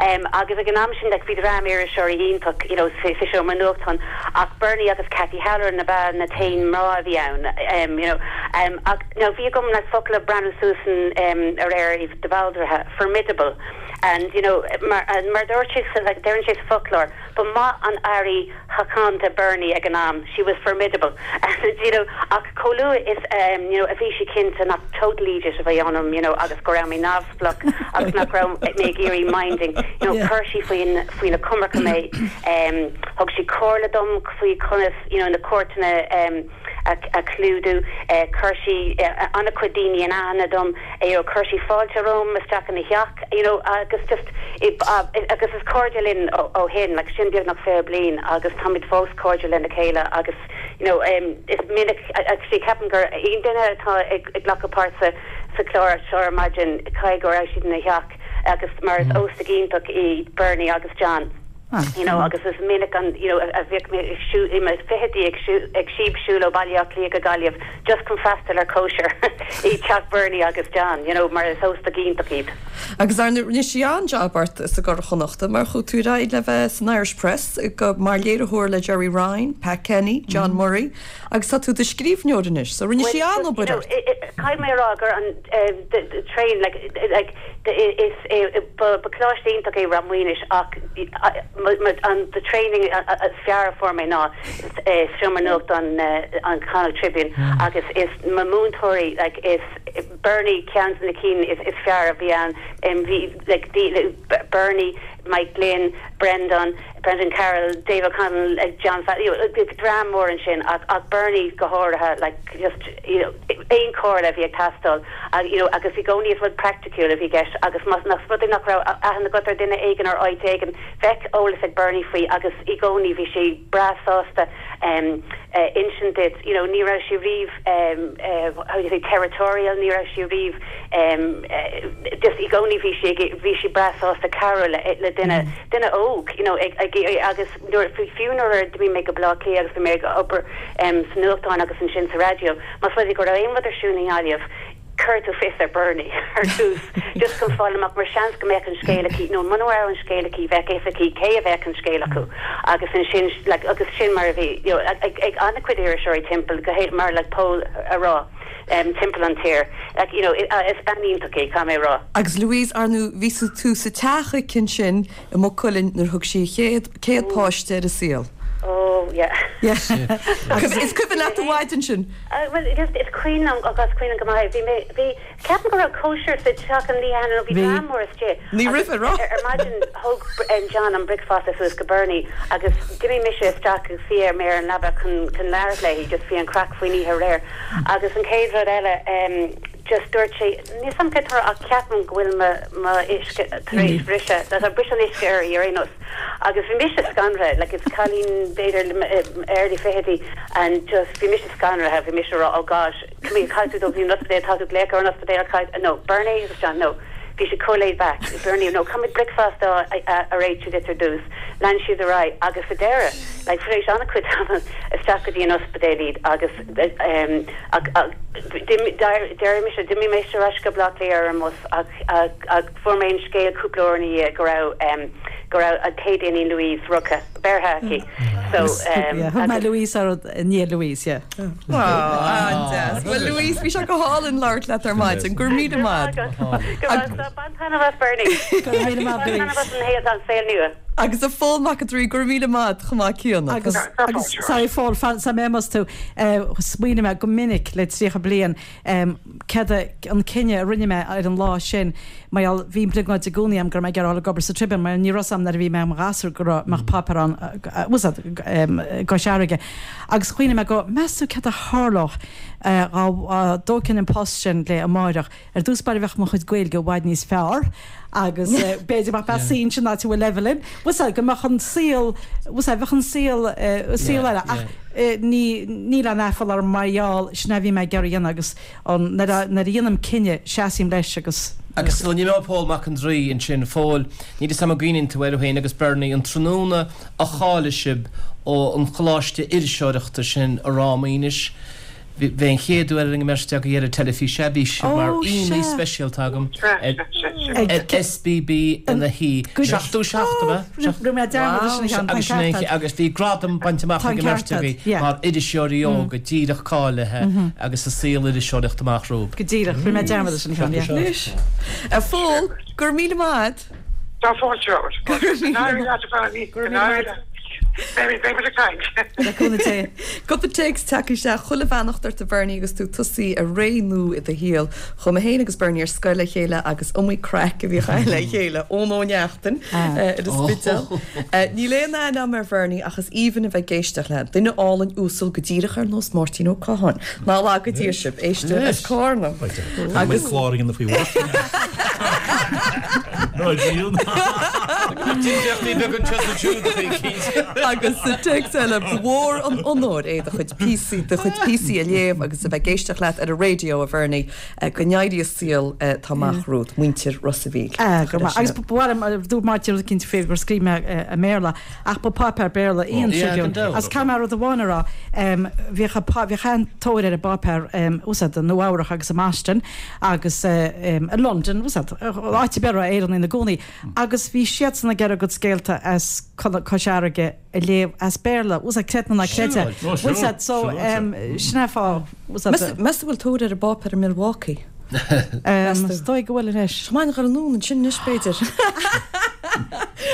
Um, agus ag an am sin, like, bhí dream iriseoirí iontach, you know, sa, sa seomra nuachtáin, ach Bernie agus Cathy Halloran ab ea na t-aon mná a bhí ann, um, you know. Um, ach, now, bhí agam like, focal ag breathnú suas an, um, aréir de Bhaldraithe, formidable. And, you know, mar, mar dúirt sé, like, deireann sé sa foclóir, ba maith an airí shochánta Bernie ag an am, she was formidable. And, you know, ach chomh luath is, um, you know, a bhí sí cinnte nach total idiot a bhí ionam, you know, agus go raibh mé neamhspleách agus nach raibh mé ag iarraidh minding, you know, chuir sí faoin, faoina coimirce mé, um, thug sí comhairle dom faoi conas, you know, na cuairteanna, um, a, a chlúdú, uh, chuir sí uh, an-chuid daoine in aithne dom, you know, chuir sí fáilte romham isteach ina theach, you know, agus just uh, agus is cairde linn ó, ó shin, like sin beagnach fiche bliain agus táimid fós cairde lena chéile agus you know, um, is minic actually ceapaim gur aon duine atá ag, ag glacadh páirt sa, sa chlár seo ar maidin caithfidh go raibh siad ina theach agus mar is óstaigh iontach í Bernie agus John. You know, agus is minic an you know, a bhíodh mé ag siú i mo fichidí ag siú ag síobshiúl ó Bhaile Átha Cliath go Gaillimh just chun freastal ar cóisir i teach Bernie agus John, you know, mar is óstaigh iontach iad. Agus ar ndóigh rinne sí an-jab ort sa gCuradh Chonnachta mar chuaigh tú ar aghaidh le bheith san Irish Press go mar léiritheoir le Gerry Ryan, Pat Kenny, John Murray agus tá tú i do scríbhneoir anois, so rinne sí an-obair ort. Caithfidh mé a rá gur an the, the train like like the, is ba ba coláiste iontach é Ráth Maoinis ach an the training is fearr a fuair mé ná seomra nuachta an an Connacht Tribune agus is mo mhúinteoirí like is Bernie ceann de na cinn is is fearr a bhí ann um, bhí like the, Bernie Mike Glynn, Brendan, Brendan Carroll, Dave O'Connell, uh, John Fa you know, dream mór ansin ach, ach Bernie go háirithe like just you know, aon chomhairle a bhí ag teastáil uh, you know, agus i gcónaí is rud practical a bhí i gceist agus más nach rud nach raibh aithne agat ar duine éigin ar áit éigin bheadh eolas ag Bernie faoi agus i gcónaí bhí sé breá sásta um, uh, insint duit you know, ní raibh sé riamh um, uh, how do you say territorial ní raibh sé riamh um, uh, just i gcónaí bhí sé bhí sé breá sásta cabhrú le, le duine mm. duine óg you know, ag, ag, agus nuair fiú nuair a d'imigh mé go Baile Átha Cliath agus bhí mé ag obair um, sa nuachtán agus ansin sa raidió más rud go raibh aon rud ar siúl i nGaillimh cuir tú fios ar Bernie ar dtús just chun fáil amach mar seans go mbeadh an scéal aici nó mura raibh an scéal aici bheadh a fhios aici cé a bheadh an scéal acu agus ansin like, agus sin mar a bhí you know, ag, ag an-chuid iriseoirí timpeall go héit mar like Paul a rá um, timpeall an tír like, you know, uh, is bean iontach í caithfidh mé rá. Agus Louise ar ndóigh bhí tú sa teach aici ansin i Maigh Cuilinn nuair thug sí chéad céad páiste ar an saol. Oh yeah. Yeah. Agus is cuimhin leat an mhaidin sin. Uh, well just is cuimhin agus cuimhin go maith bhí mé bhí ceapaim go raibh cóisir sa teach an oíche nó bhí dream mór istigh. Ní rih rá. Ar ar maidin thug um, John an bricfeasta suas go Bernie agus d'imigh mise isteach agus bhí ar mé ar an leaba chun chun labhairt léi just bhí an craic faoin oíche aréir agus an chéad rud eile um, just dúirt sé ní sam tar ach ceapaim go bhfuil mo uisce tar éis briseadh tá bris an uisce ar ar aon nós agus bhí mise scanraithe like it's cailín b'fhéidir early fichidí and just bhí mise scanraithe bhí mise rá oh gosh come here caithfidh tú an ospidéal tá tú glaoch ar an ospidéal caithfidh no Bernie agus John no bhí sé chomh laid back Bernie no come with breakfast a a réitiú duit ar dtús lean siad ar aghaidh agus sa deireadh like tar éis an-chuid ama isteach go dtí an ospidéal iad agus um, deir mise d'imigh mé ar ais go Baile Átha Cliath ar an mbus ach ach fuair mé an scéal cúpla uair ina dhiaidh go raibh um, go raibh an chéad iníon Louise rugtha beirthe aici so um, Thug mé Louise ar ní Louise, yeah. An-deas. Well Louise bhí sé go hálainn labhairt leat ar maidin, gur míle maith. Bain taitneamh as Bernie. Go raibh míle maith, Louise. an héad an saol nua. Agus a Phóil Mac an Draoi gur míle maith chomh maith céanna. Agus agus sorry Phóil fan sa mé tú smaoiním go minic le tríocha bliain cad an cinneadh a rinne mé ar an lá sin mar bhí brioglóid i gcónaí agam go raibh mé ag iarraidh ag obair sa Tribune mar ní raibh nuair a bhí mé i mo ghasúr go raibh mbeadh páipéar ann i gCois Fharraige. Agus chuimhnigh mé go meas tú cad a tharlódh dá dtógfainn an post sin le amárach. Ar dtús báire bheadh mo chuid Gaeilge i bhfad níos fearr agus b'fhéidir mar bheinn sin áit bhfuil Evelyn. Was go mbeadh an saol was bheadh an saol saol eile ach ní níl an aiféala orm mar gheall sin a bhí mé ag iarraidh a dhéanamh agus nuair a dhéanaim cinneadh seasaim leis agus Agus ní mé Pól Mac an Draoi ansin Phóil, ní is am gcuimhníonn tú air féin agus Bernie an tráthnóna a cháiligh sibh ó an choláiste iriseoireachta sin i Ráth Maoinis. Bhí an chéad uair an mbeirt agaibh ar an teilifís bhí sibh mar aíonna speisialta agam ar SBB ina shuí. Seachtó seacht ab ea? Rinne mé dearmad sin a cheann, tá an ceart agat. Agus bhí gradam bainte amach ag an mbeirt agaibh mar iriseoirí óga díreach cáilithe agus a saol iriseoireachta amach romhaibh. Go díreach, rinne mé dearmad sin a cheann, yeah. Anois, a Phóil, go raibh míle maith. Tá fáilte romhat. Go n-éirí leat a Bhernie. Go n-éirí leat. Beidh beidh muid ag caint. Le cúnamh Dé. Cúpla téacs tagtha isteach chuile bheannacht ort a Bhernie agus tú tosaí ar ré nua i do shaol. Chuaigh mé féin agus Bernie ar scoil le chéile agus iomaí craic a bhíodh againn le chéile Eoin Ó Neachtain ar an Spidéal. Níl aon aithne agam ar Bhernie ach is aoibhinn a bheith ag éisteacht leat. Duine álainn uasal go díreach ar nós Máirtín Ó Catháin. Ná laga Dia sibh, éisteoir as Carna. Agus clár a dhéanamh faoi Mháirtín. Ná díon. Difríochtaí beag anseo is ansiúd a bhí cinnte. Agus sa téacs eile ba mhór an onóir é do chuid píosaí do chuid píosaí a léamh agus a bheith ag éisteacht leat ar an raidió a Bhernie go n-éirí an saol atá amach romhat muintir Ros a' Mhíl. Go maith. Agus ba mhaith liom dúirt Máirtín rud eicínt faoi gur scríobh mé i mBéarla ach ba páipéar Béarla í an Tribune. Agus caithfidh mé rud amháin a rá bhíodh bhíodh an-tóir ar an bpáipéar úsáid i Nua Eabhrac agus i mBoston agus i London úsáid áit ar bith a raibh Éireannaigh ina gcónaí agus bhí siadsan ag iarraidh a gcuid scéalta as Cois Fharraige a léamh as Béarla. Úsáid creid nó ná creid é. Bhfuil siad so sin é fáth úsáid. Meas tú bhfuil tóir ar an bpáipéar i Milwaukee? Is dóigh go bhfuil anois. Tá maith an anonn ansin anois b'fhéidir.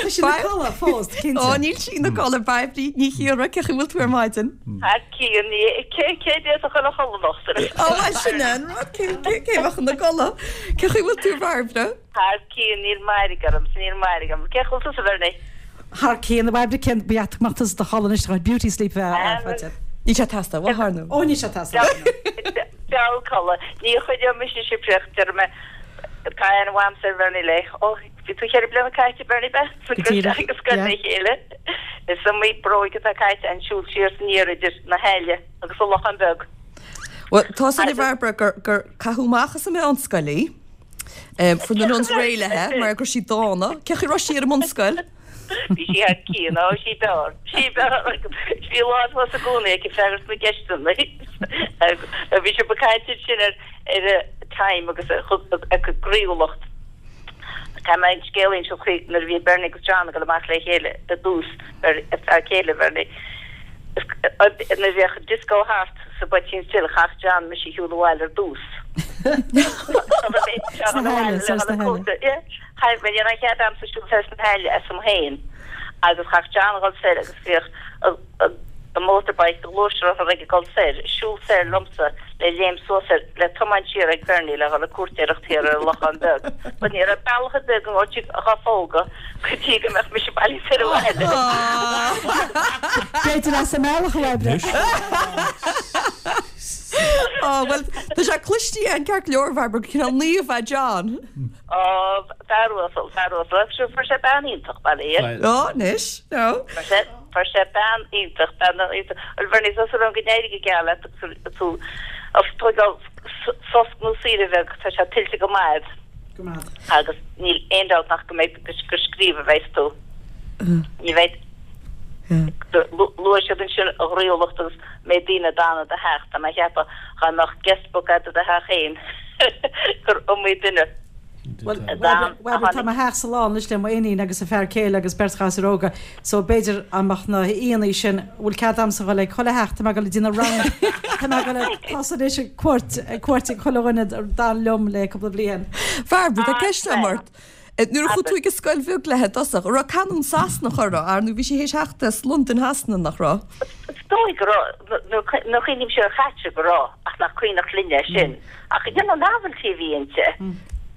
Tá sí ina codladh fós, cinnte. Ó, níl sí ina codladh, Bairbre Ní Chiarra, cén chaoi a bhfuil tú ar maidin? Thar cionn, ní, cé, cé a bheadh ina chodladh anocht? Ó, bhuel, sin é an rud, cé, cé, cé bheadh ina codladh? Cén chaoi a bhfuil tú, a Bhairbre? Thar cionn, níl mairg orm, níl mairg orm. Cén chaoi a bhfuil tusa, a Bhernie? Thar cionn, a Bhairbre, cén, ba dheas go mbeadh tusa i do chodladh anois, tá beauty sleep a bheith faighte. Níl sé ag teastáil uait, ar ndóigh. Ó, níl sé ag teastáil. Feall codladh. Ní choinneoidh mise sibh déarfaidh mé, tá aithne mhaith a'msa ar Bhernie le, ó, bhí tú cheithre bliana caite, Bernie Beth, Go díreach, agus scoil yeah. le chéile. Is iomaí bróig atá caite an siúl siar is aniar idir na hAille agus an Lochán Beag. Bhuel, tá 'fhios a'inn, a Bhairbre, gur, gur caitheadh amach as an meánscoil í. Um, fuair na nuns réidh léithe, mar go raibh sí dána. Cén chaoi a raibh sí ar an mbunscoil? Bhí sí thar cionn, ó, sí b'fhearr, sí b'fhearr. Bhí lán thuas i gcónaí aici freagairt na gceisteanna. Bhí sibh ag caint ansin ar ar Time agus a gcroíúlacht. Tá mé ag scéal a inseacht faoi nuair a bhí Bernie agus John ag dul amach le chéile i dtús, fear céile Bhernie. Nuair a bhíodh disco thart sa Poitín Stil chaith John mise a shiúl abhaile ar dtús. Sna hAille, soir sna hAille. Chaith mé, ní raibh cead a'msa siúl soir sna hAille asam féin agus chaith John a dhul soir agus bhíodh a motorbike, a ghluaisrothar ag dul soir, siúl soir liomsa le léim suas air, le tiomáint siar ag Bernie le dhul ag cúirtéireacht thiar ar an Lochán Beag. But ní raibh bealach ar bith againn ó tigh dhá phógadh go dtí go mbeadh mise bailithe soir abhaile. B'fhéidir as an mbealach a oibre. Ó, bhuel, tá sé cliste an ceart go leor, Bhairbre, go cineál naomh é John. Ó, fear uasal, fear uasal. Agus fuair sé bean iontach, bail ó Dhia air. Ó, anois, no. Fuair sé, fuair sé bean iontach, bean iontach. Bhuel, Bernie, tá súil agam go n-éirí go geal leat agus tú ag tógáil sos nó saoire bheag, tá sé tuillte go maith a'd. Go maith. Agus níl aon dabht nach go mbeidh, gur scríobh a bheas tú. Ní bheidh, luaigh siad ansin a ghroíúlacht agus méid daoine a d'fhan i do theach, tá mé a cheapadh dhá mbeadh guest book a'd i do theach féin gur iomaí duine. Bhuel, bhuel, tá mo theachsa lán anois le m'iníon agus a fear céile agus beirt ghasúr óga, so b'fhéidir dá mbeadh na haíonna sin, bhfuil cead a'msa dhul ag chuile theach, tá mé ag dul ag déanamh round, tá mé ag dul ag tosú anois ag cuairt, ag cuairt ag chuile dhuine a d'fhan liom le cúpla bliain. Bhairbre, tá ceist agam ort. Nuair a chuaigh tú ag an scoil bheag léi i dtosach, an raibh canúint Sasanach uirthi, ar nó bhí sí théis theacht as Londain Shasana, nach raibh? Is dóigh go raibh, nuair a chuimhním siar ar Chaitríona go raibh, ach nach cuimhneach linne é sin. Ach you know, novelty a bhí inti.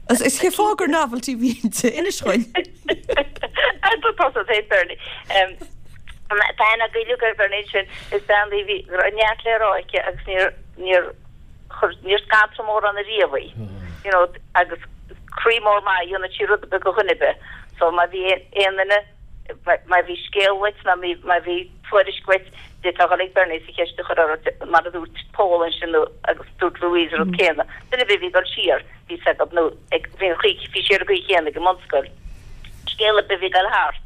Is is cén fáth gur novelty a bhí inti, inis dhuinn. Tá tusa féin Bernie. Tá aithne againn uilig ar Bernie sin, is bean í a bhí, go raibh neart le rá aici agus níor, níor chuir, níor scanradh mórán ariamh í. You know, agus croí mór maith, dhéanadh sí rud ar bith do dhuine ar bith. So má bhí aon duine, má bhí scéal uait nó má bhí tuairisc uait, d'fhéadfá dhul ag Bernie is an cheist a chur uirthi, mar a dúirt Pól ansin nó agus dúirt Louise an rud céanna. Duine ar bith a bhí ag dul siar, bhí 's agat nó ag, bhí an chaoi, bhí sí ar an gcaoi chéanna ag an mbunscoil. Scéal ar bith a bhí ag dul thart,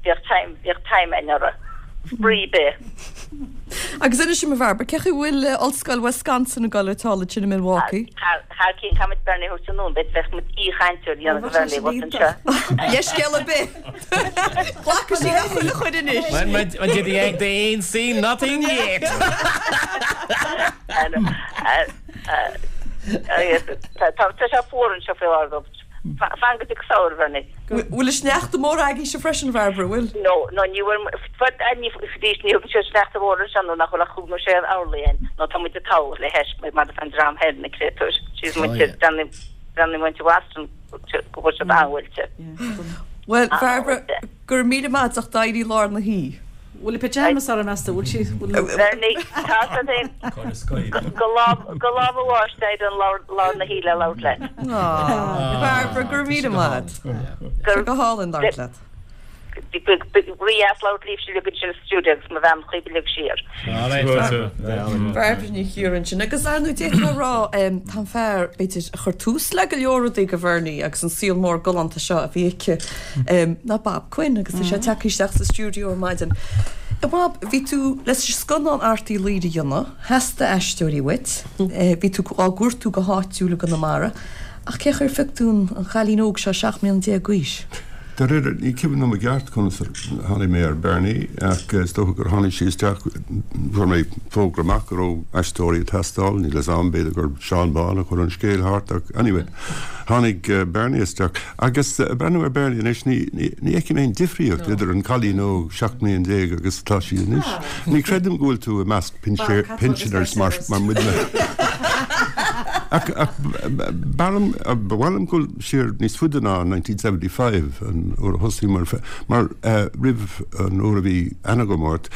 bhíodh time, bhíodh time againn orthu. Spraoi ar bith. Agus inis dom a Bhairbre, cén chaoi a bhfuil Ollscoil Wisconsin ag dul ar tsáil ansin i Milwaukee? Thar, thar cionn, caithfidh muid Bernie a thabhairt anonn, b'fhéidir bheadh muid aoichainteoir a dhéanamh do Bhernie abhus anseo. Leithscéal ar bith! Glacfaidh sí le chuile chuid anois. Well, my, my dear, they ain't, they ain't seen nothing yet. Tá tá sé fuar anseo faoi láthair dó. Fan go dtig samhradh, Bernie. Bhfuil an sneachta mór agaibhse freisin, a Bhairbre, bhfuil? No, no, ní bhfuil, fad, ní, arís, ní thugann siad sneachta mhór anseo nó nach bhfuil ach cúig nó sé orlaí ann, nó tá muid ag togha le hais, mar atá an dream thoir, na créatúir. Jeez, muintir, breathnaigh, breathnaigh muintir Bhoston, go bhfuil siad an-bhuailte. Bhuel, Bhairbre, go raibh míle maith agat as éirí lár na hoíche. Bhfuil pyjamas uirthi meas tú, bhfuil sí, bhfuil. Bernie, tá sé féin, go lá, go lá mo bháis d'éirigh lár, lár na hoíche le labhairt leat. Aw, Barbara, go raibh míle maith agat. Go hálainn labhairt leat. Rí-dheas labhairt libhse uilig ansin sa stiúideo agus mo bhean chuí uilig siar. Bairbre Ní Chiaráin ansin. Agus ar ndóigh d'fhéadfá a rá, tá an fear, b'fhéidir, a chuir tús le go leor rudaí do Bhernie agus an saol mór galánta seo a bhí aici, ná Bob Quinn agus tá sé tagtha isteach sa stiúideo ar maidin. A Bhob, bhí tú le scannán Art Uí Laoghaire a dhéanamh, theastaigh aisteoirí uait, bhí tú á gcuartú go háitiúil i gConamara, ach cén chaoi ar phioc tú an chailín óg seo seacht mbliana déag d'aois? Dáiríre, ní cuimhin liom i gceart conas a tháinig mé ar Bernie ach is dócha gur tháinig sí isteach, chuir mé fógra amach go raibh aisteoirí ag teastáil, níl 'fhios a'm, b'fhéidir gur Seán Bán a chuir an scéal thart ach anyway, tháinig Bernie isteach. Agus ag breathnú ar Bernie anois, ní ní fheicim aon difríocht idir an cailín óg seacht mbliana déag agus atá sí anois. Ní chreidim go bhfuil tú i measc pensioners mar mar muidne. Ach ach ba mhaith liom dul siar níos faide ná nineteen seventy five an uair a thosaigh mar mar roimh an uair a bhí aithne agam ort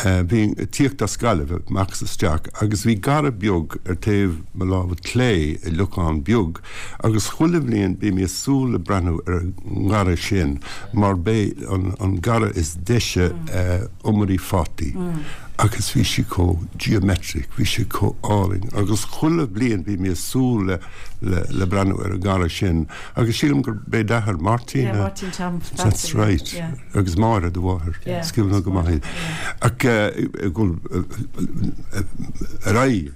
bhínn ag tíocht as Gaillimh amach is isteach agus bhí garradh beag ar taobh mo láimhe clé i Locán Beag agus chuile bhliain bhí mé ag súil le breathnú ar an ngarradh sin mar b'é an an garradh is deise iomairí fataí. Agus bhí sí chomh geometric, bhí sé chomh álainn agus chuile bhliain bhí mé ag súil le le le breathnú ar an ngarradh sin agus sílim gur b'é d'athair Máirtín Yeah, Máirtín Tom That's right. Yeah. Agus Máire do mháthair. Yeah. Is cuimhin liom go maith iad. Ach ag dul ar aghaidh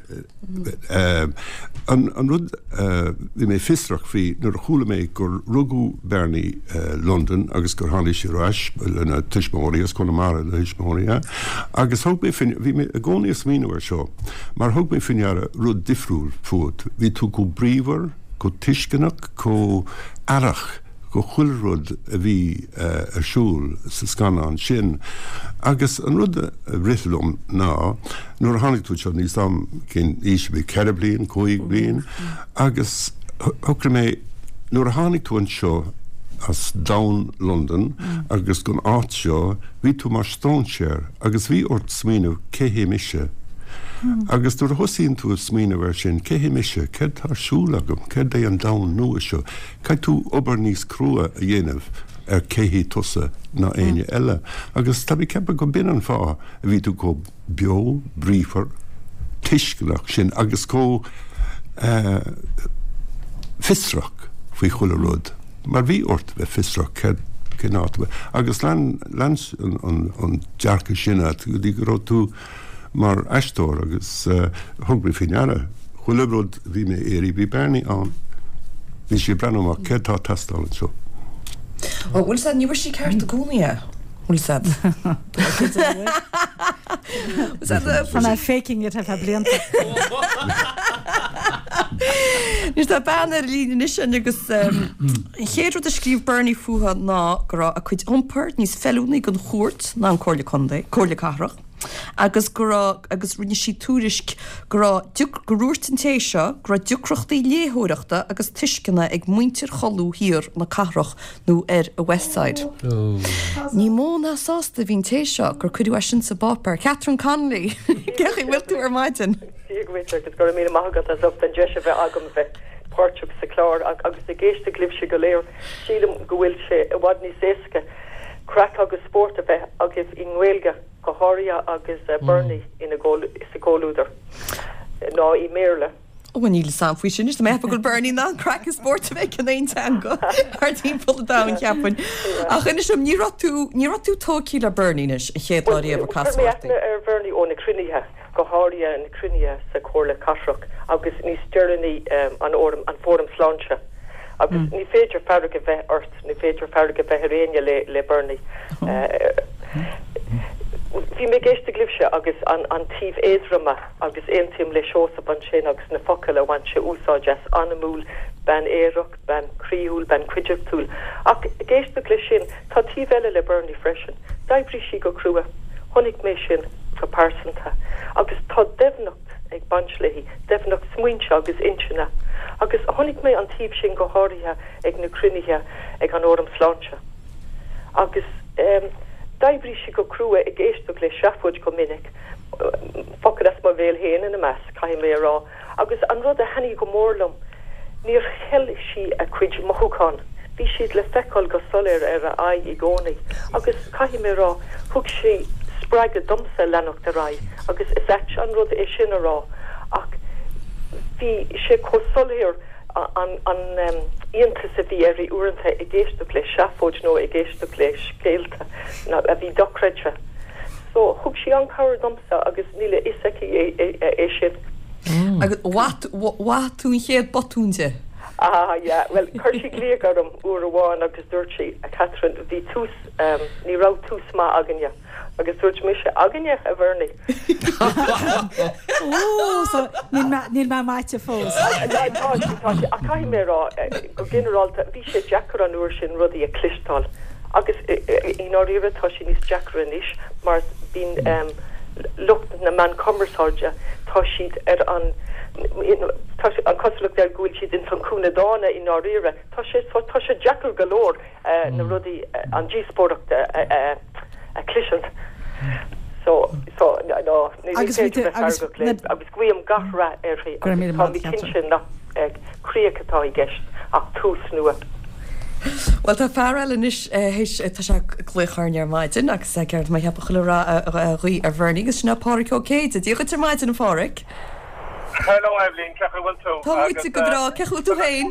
An an rud a bhí mé fiosrach faoi nuair a chuala mé gur rugadh Bernie Londain agus gur tháinig sí ar ais lena tuismitheoirí as Conamara a thuismitheoirí ea agus thug mé faoi bhí mé i gcónaí ag smaoineamh air seo mar thug mé faoi ndeara rud difriúil fút bhí tú chomh bríomhar chomh tuisceanach chomh aireach go chuile rud a bhí ar siúl sa scannán sin. Agus an rud a rith liom ná, nuair a tháinig tú anseo, níl 'fhios a'm cén aois a bhí, ceithre bliain, cúig bliain, agus shocraigh mé, nuair a tháinig tú anseo as domhan Londain agus gon áit seo, bhí tú mar stróinséir agus bhí ort smaoineamh cé hé mise? Agus nuair a thosaíonn tú ag smaoineamh air sin, cé hé mise, céard tá ar siúl agam, céard é an domhan nua seo, caithfidh tú obair níos crua a dhéanamh ar cé hí tusa ná éinne eile. Agus tá mé ag ceapadh go b'in an fáth a bhí tú chomh beo, bríomhar, tuisceanach sin agus chomh fiosrach faoi chuile rud, mar bhí ort bheith fiosrach céard, cén áit a bhfuil, agus lean, lean an, an dearcadh sin agat go dtí go raibh tú mar aisteoir agus thug mé faoi ndeara chuile rud a bhí mé a iarraidh, bhí Bernie ann, bhí sí ag breathnú amach céard tá ag teastáil anseo. Ó, bhfuil 'fhios a'd, ní bhfuair sí ceart i gcónaí é, bhfuil 'fhios a'd. Tá mé faking it ar feadh blianta. Anois tá bean ar líne anois agus an chéad rud a scríobh Bernie fúithi ná go raibh a cuid iompair níos feiliúnaí don chúirt ná an Comhairle Contae, Comhairle Cathrach. agus go raibh, agus rinne sí tuairisc go raibh, gur dhúirt an té seo go raibh deacrachtaí léitheoireachta agus tuisceana ag muintir Cholú thiar na cathrach nó ar an West Side. Ní mó ná sásta a bhí an té seo gur cuireadh é sin sa bpáipéar. Catherine Connolly, cén chaoi a bhfuil tú ar maidin? Dia dhuit agus go raibh míle maith agat as ucht an deis a bheith agam a bheith páirteach sa chlár agus ag éisteacht libhse go léir. Sílim go bhfuil sé i bhfad níos éasca craic agus spórt a bheith agaibh i nGaeilge. go háirithe agus Bernie ina sa gcomhluadar, ná i mBéarla. Ó, níl 'fhios a'm faoi sin, is mé ag ceapadh go bhfuil Bernie in ann craic is spórt a bheith in aon teanga thar timpeall an domhain, cheapfainn. Ach inis dom, ní raibh tú, ní raibh tú tógtha le Bernie anois, an chéad lá riamh a Chuir casadh mé ort í. aithne ar Bhernie ó na cruinnithe, go háirithe na cruinnithe sa Chomhairle Cathrach agus níos deireanaí an Fhóram, an Fóram Sláinte. Agus ní féidir fearg a bheith ort, ní féidir fearg a bheith ar éinne le le Bernie. Bhí mé ag éisteacht libhse agus an an taobh éadroma agus aontaím le Seosamh ansin agus na focail a bhain sé úsáid as, anamúil, bean aerach, bean croíúil, bean cuideachtúil. Ach ag éisteacht leis sin, tá taobh eile le Bernie freisin. D'oibrigh sí go crua. Chonaic mé sin go pearsanta. Agus tá doimhneacht ag baint léi, doimhneacht smaointe agus intinne. Agus chonaic mé an taobh sin go háirithe ag na cruinnithe ag an Fhóram Sláinte. Agus d'oibrigh sí go crua ag éisteacht le seafóid go minic, focail as mo bhéal féin ina measc, caithfidh mé a rá. Agus an rud a thaitnigh go mór liom, níor cheil sí a cuid mothúchán, bhí siad le feiceáil go soiléir ar a aghaidh i gcónaí. Agus caithfidh mé a rá, thug sí spreagadh domsa leanacht ar aghaidh, agus is ait an rud é sin a rá, ach bhí sé chomh soiléir, an iontas a bhí uirthi uaireanta ag éisteacht le seafóid nó ag éisteacht le scéalta a bhí dochreidte. So, thug sí an-chabhair domsa agus níl a fhios aici é sin. Agus mhaith tú an chéad botún di? Ah, yeah. Well, chuir sí glaoch orm uair amháin agus dúirt sí, a Catherine, bhí tús um, ní raibh tús maith againne. Agus dúirt mise againne a Bhernie. Ó, so níl mé- níl mé maite fós. Tá sí tá sí ach caithfidh mé rá eh, go ginearálta bhí sé deacair an uair sin rudaí a chloisteáil. Agus eh, eh, i ndáiríre tá sé níos deacra anois mar bíonn um, lucht na meán cumarsáide tá siad ar an tá sé- an cosúlacht ar go bhfuil siad in san cúinne dána i ndáiríre tá sé tá tá sé deacair go leor eh, na rudaí eh, an díospóireacht a a- a chloisint. So so no no ní Agus bhí tú- agus agus agus guím gach rath uirthi Go raibh míle agus maith tá mé Catherine. cinnte nach eh, críoch atá i gceist ach tús nua. Well tá fear eile anois théis tá sé glaoch orainn ar maidin agus ceart má cheapadh chuile rá a ghuí ar Bhernie agus sin Pádraig Ó Céide, Dia dhuit ar maidin a Phádraig. Hello Evelyn, cén chaoi bhfuil tú? Tá muid go breá cén chaoi tú féin?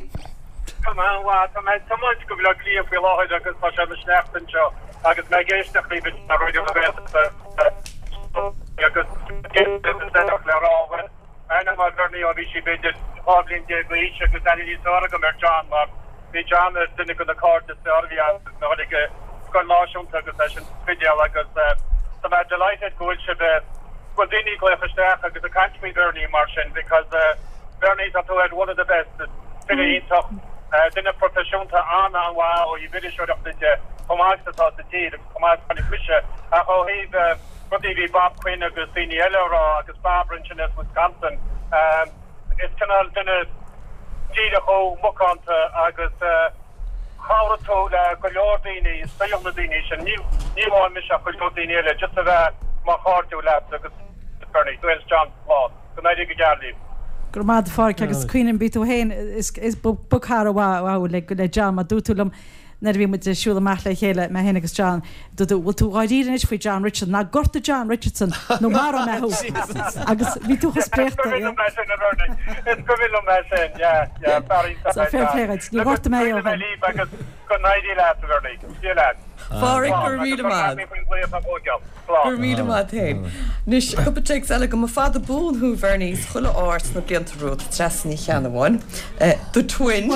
Tá tá mé tá muid go bhfuil cliath faoi láthair agus tá sé ina shneachta anseo agus mé ag éisteacht libh ar Raidió na Gaeltachta agus le rá aithne mar Bernie ó bhí sí b'fhéidir dhá bhliain déag d'aois agus aithne níos fearr agam ar John mar bhí John ar duine de na cairde is fearr a bhí na chuig scoil náisiúnta agus leis an Spidéal agus tá mé delighted go bhfuil sibh go bhfuil daoine glaoch isteach agus ag caint faoi Bernie mar sin because uh, Bernie tá tú ar one of the best file iontach uh, duine proifisiúnta an an-mhaith ó thaobh iriseoireachta de chomh maith atá sa tír agus chomh maith le mise ach ó thaobh uh, rudaí bhí Bob Quinn agus daoine eile rá agus Barbara ansin as Wisconsin um, is cineál duine díreach ó macánta agus uh, chabhraigh tú le go leor daoine saol na daoine sin ní ní amháin mise ach go leor daoine eile just a bheith mar chairde leat agus Bernie Dwayne John lá go n-éirí go geal libh. Gur mad fáric agus cuioan bí tú héin is is buchar bha le le John a dúirt tú liom nuair a bhí muid siúl amach le chéile mé féin agus John dú bhfuil tú dáiríre faoi John Richardson ná gortaigh John Richardson nó maróidh mé thú agus bhí tú chomh spréachta. Is go bhfuil mé sin yeah yeah Barry So fair play duit, ní ghortaigh mé ó shin. agus go n-éirí leat Bernie. Dia leat. Phádraig go raibh míle maith. Gur míle maith féin. Anois cúpla téacs eile go mba fada buan thú Bernie chuile áit na blianta romhat Treasa Ní Cheannabháin. The twin.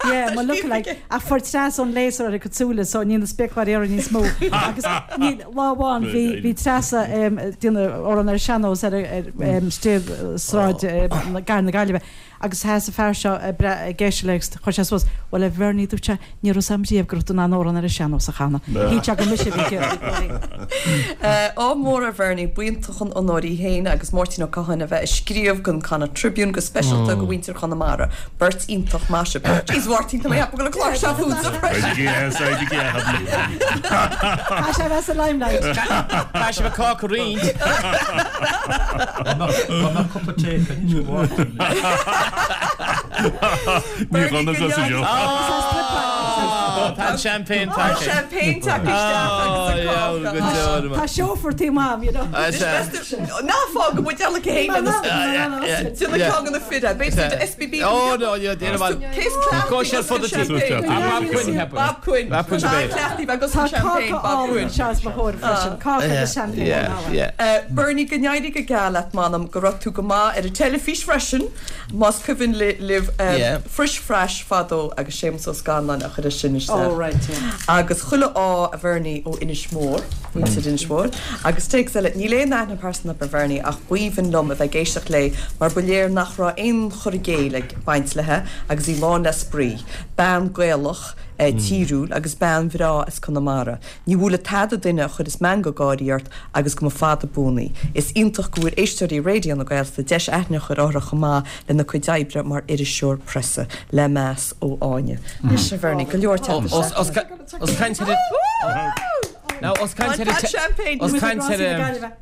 Yeah, má look like a fuair Treasa an léas ar a cosúla so ní na spéacláir ar níos mó agus ní lá amháin bhí bhí Treasa duine ar an ar sean-nós ar stíl sráid gar na Gaillimhe agus sheas an fear seo ag éisteacht le chuir sé suas well a Bhernie dúirt sé ní raibh sam riamh go raibh tú in ann amhrán ar an sean-nós a chanadh. Shíl sé go mise bhí Ádh mór ar Bhernie b'iontach an onóir í féin agus Máirtín Ó Catháin a bheith ag scríobh don Connacht Tribune go speisialta go mhuintir Chonamara. Beirt iontach maith sibh. Jeez Mháirtín tá mé go chlár se Tá sé bheith sa limelight. Tá sé cá roinnt. Cúpla tae Ní chuna sa seo. Tá champagne Tá champagne Tá seofar tí mam, you know. Ná fá go bhfuil eile chéin Duna cean na fide, SBB. Oh no, yeah, Cés Go sé fud Bob Quinn. Bob Quinn. Tá cáca álainn seas mo chóir freisin, cáca agus champagne. Bernie go n-éirí go geal leat m'anam go raibh tú go maith ar an teilifís freisin, más cuimhin libh Frish Fresh fadó agus Séamus Ó Scanláin a chuir sin isteach. Oh, right, yeah. Agus chuile ádh a Bhernie ó Inis Mór, muintir Inis Mór, agus téacs eile níl aon aithne pearsanta ar Bhernie ach b'aoibhinn liom a bheith ag éisteacht léi mar ba léir nach raibh aon chur i gcéill ag baint léi agus í lán le spraoi, bean Gaelach, tíriúil agus bean bhreá as Conamara. Ní bhuailfeadh tada duine a chuireas meangadh gáirí ort agus go mba fada buan í. Is iontach go bhfuair éisteoirí Raidió na Gaeltachta deis aithne a chur uirthi chomh maith lena cuid oibre mar iriseoir preasa le meas ó Áine. Anois a Bhernie, go leor teacht Os caint Now os caint os caint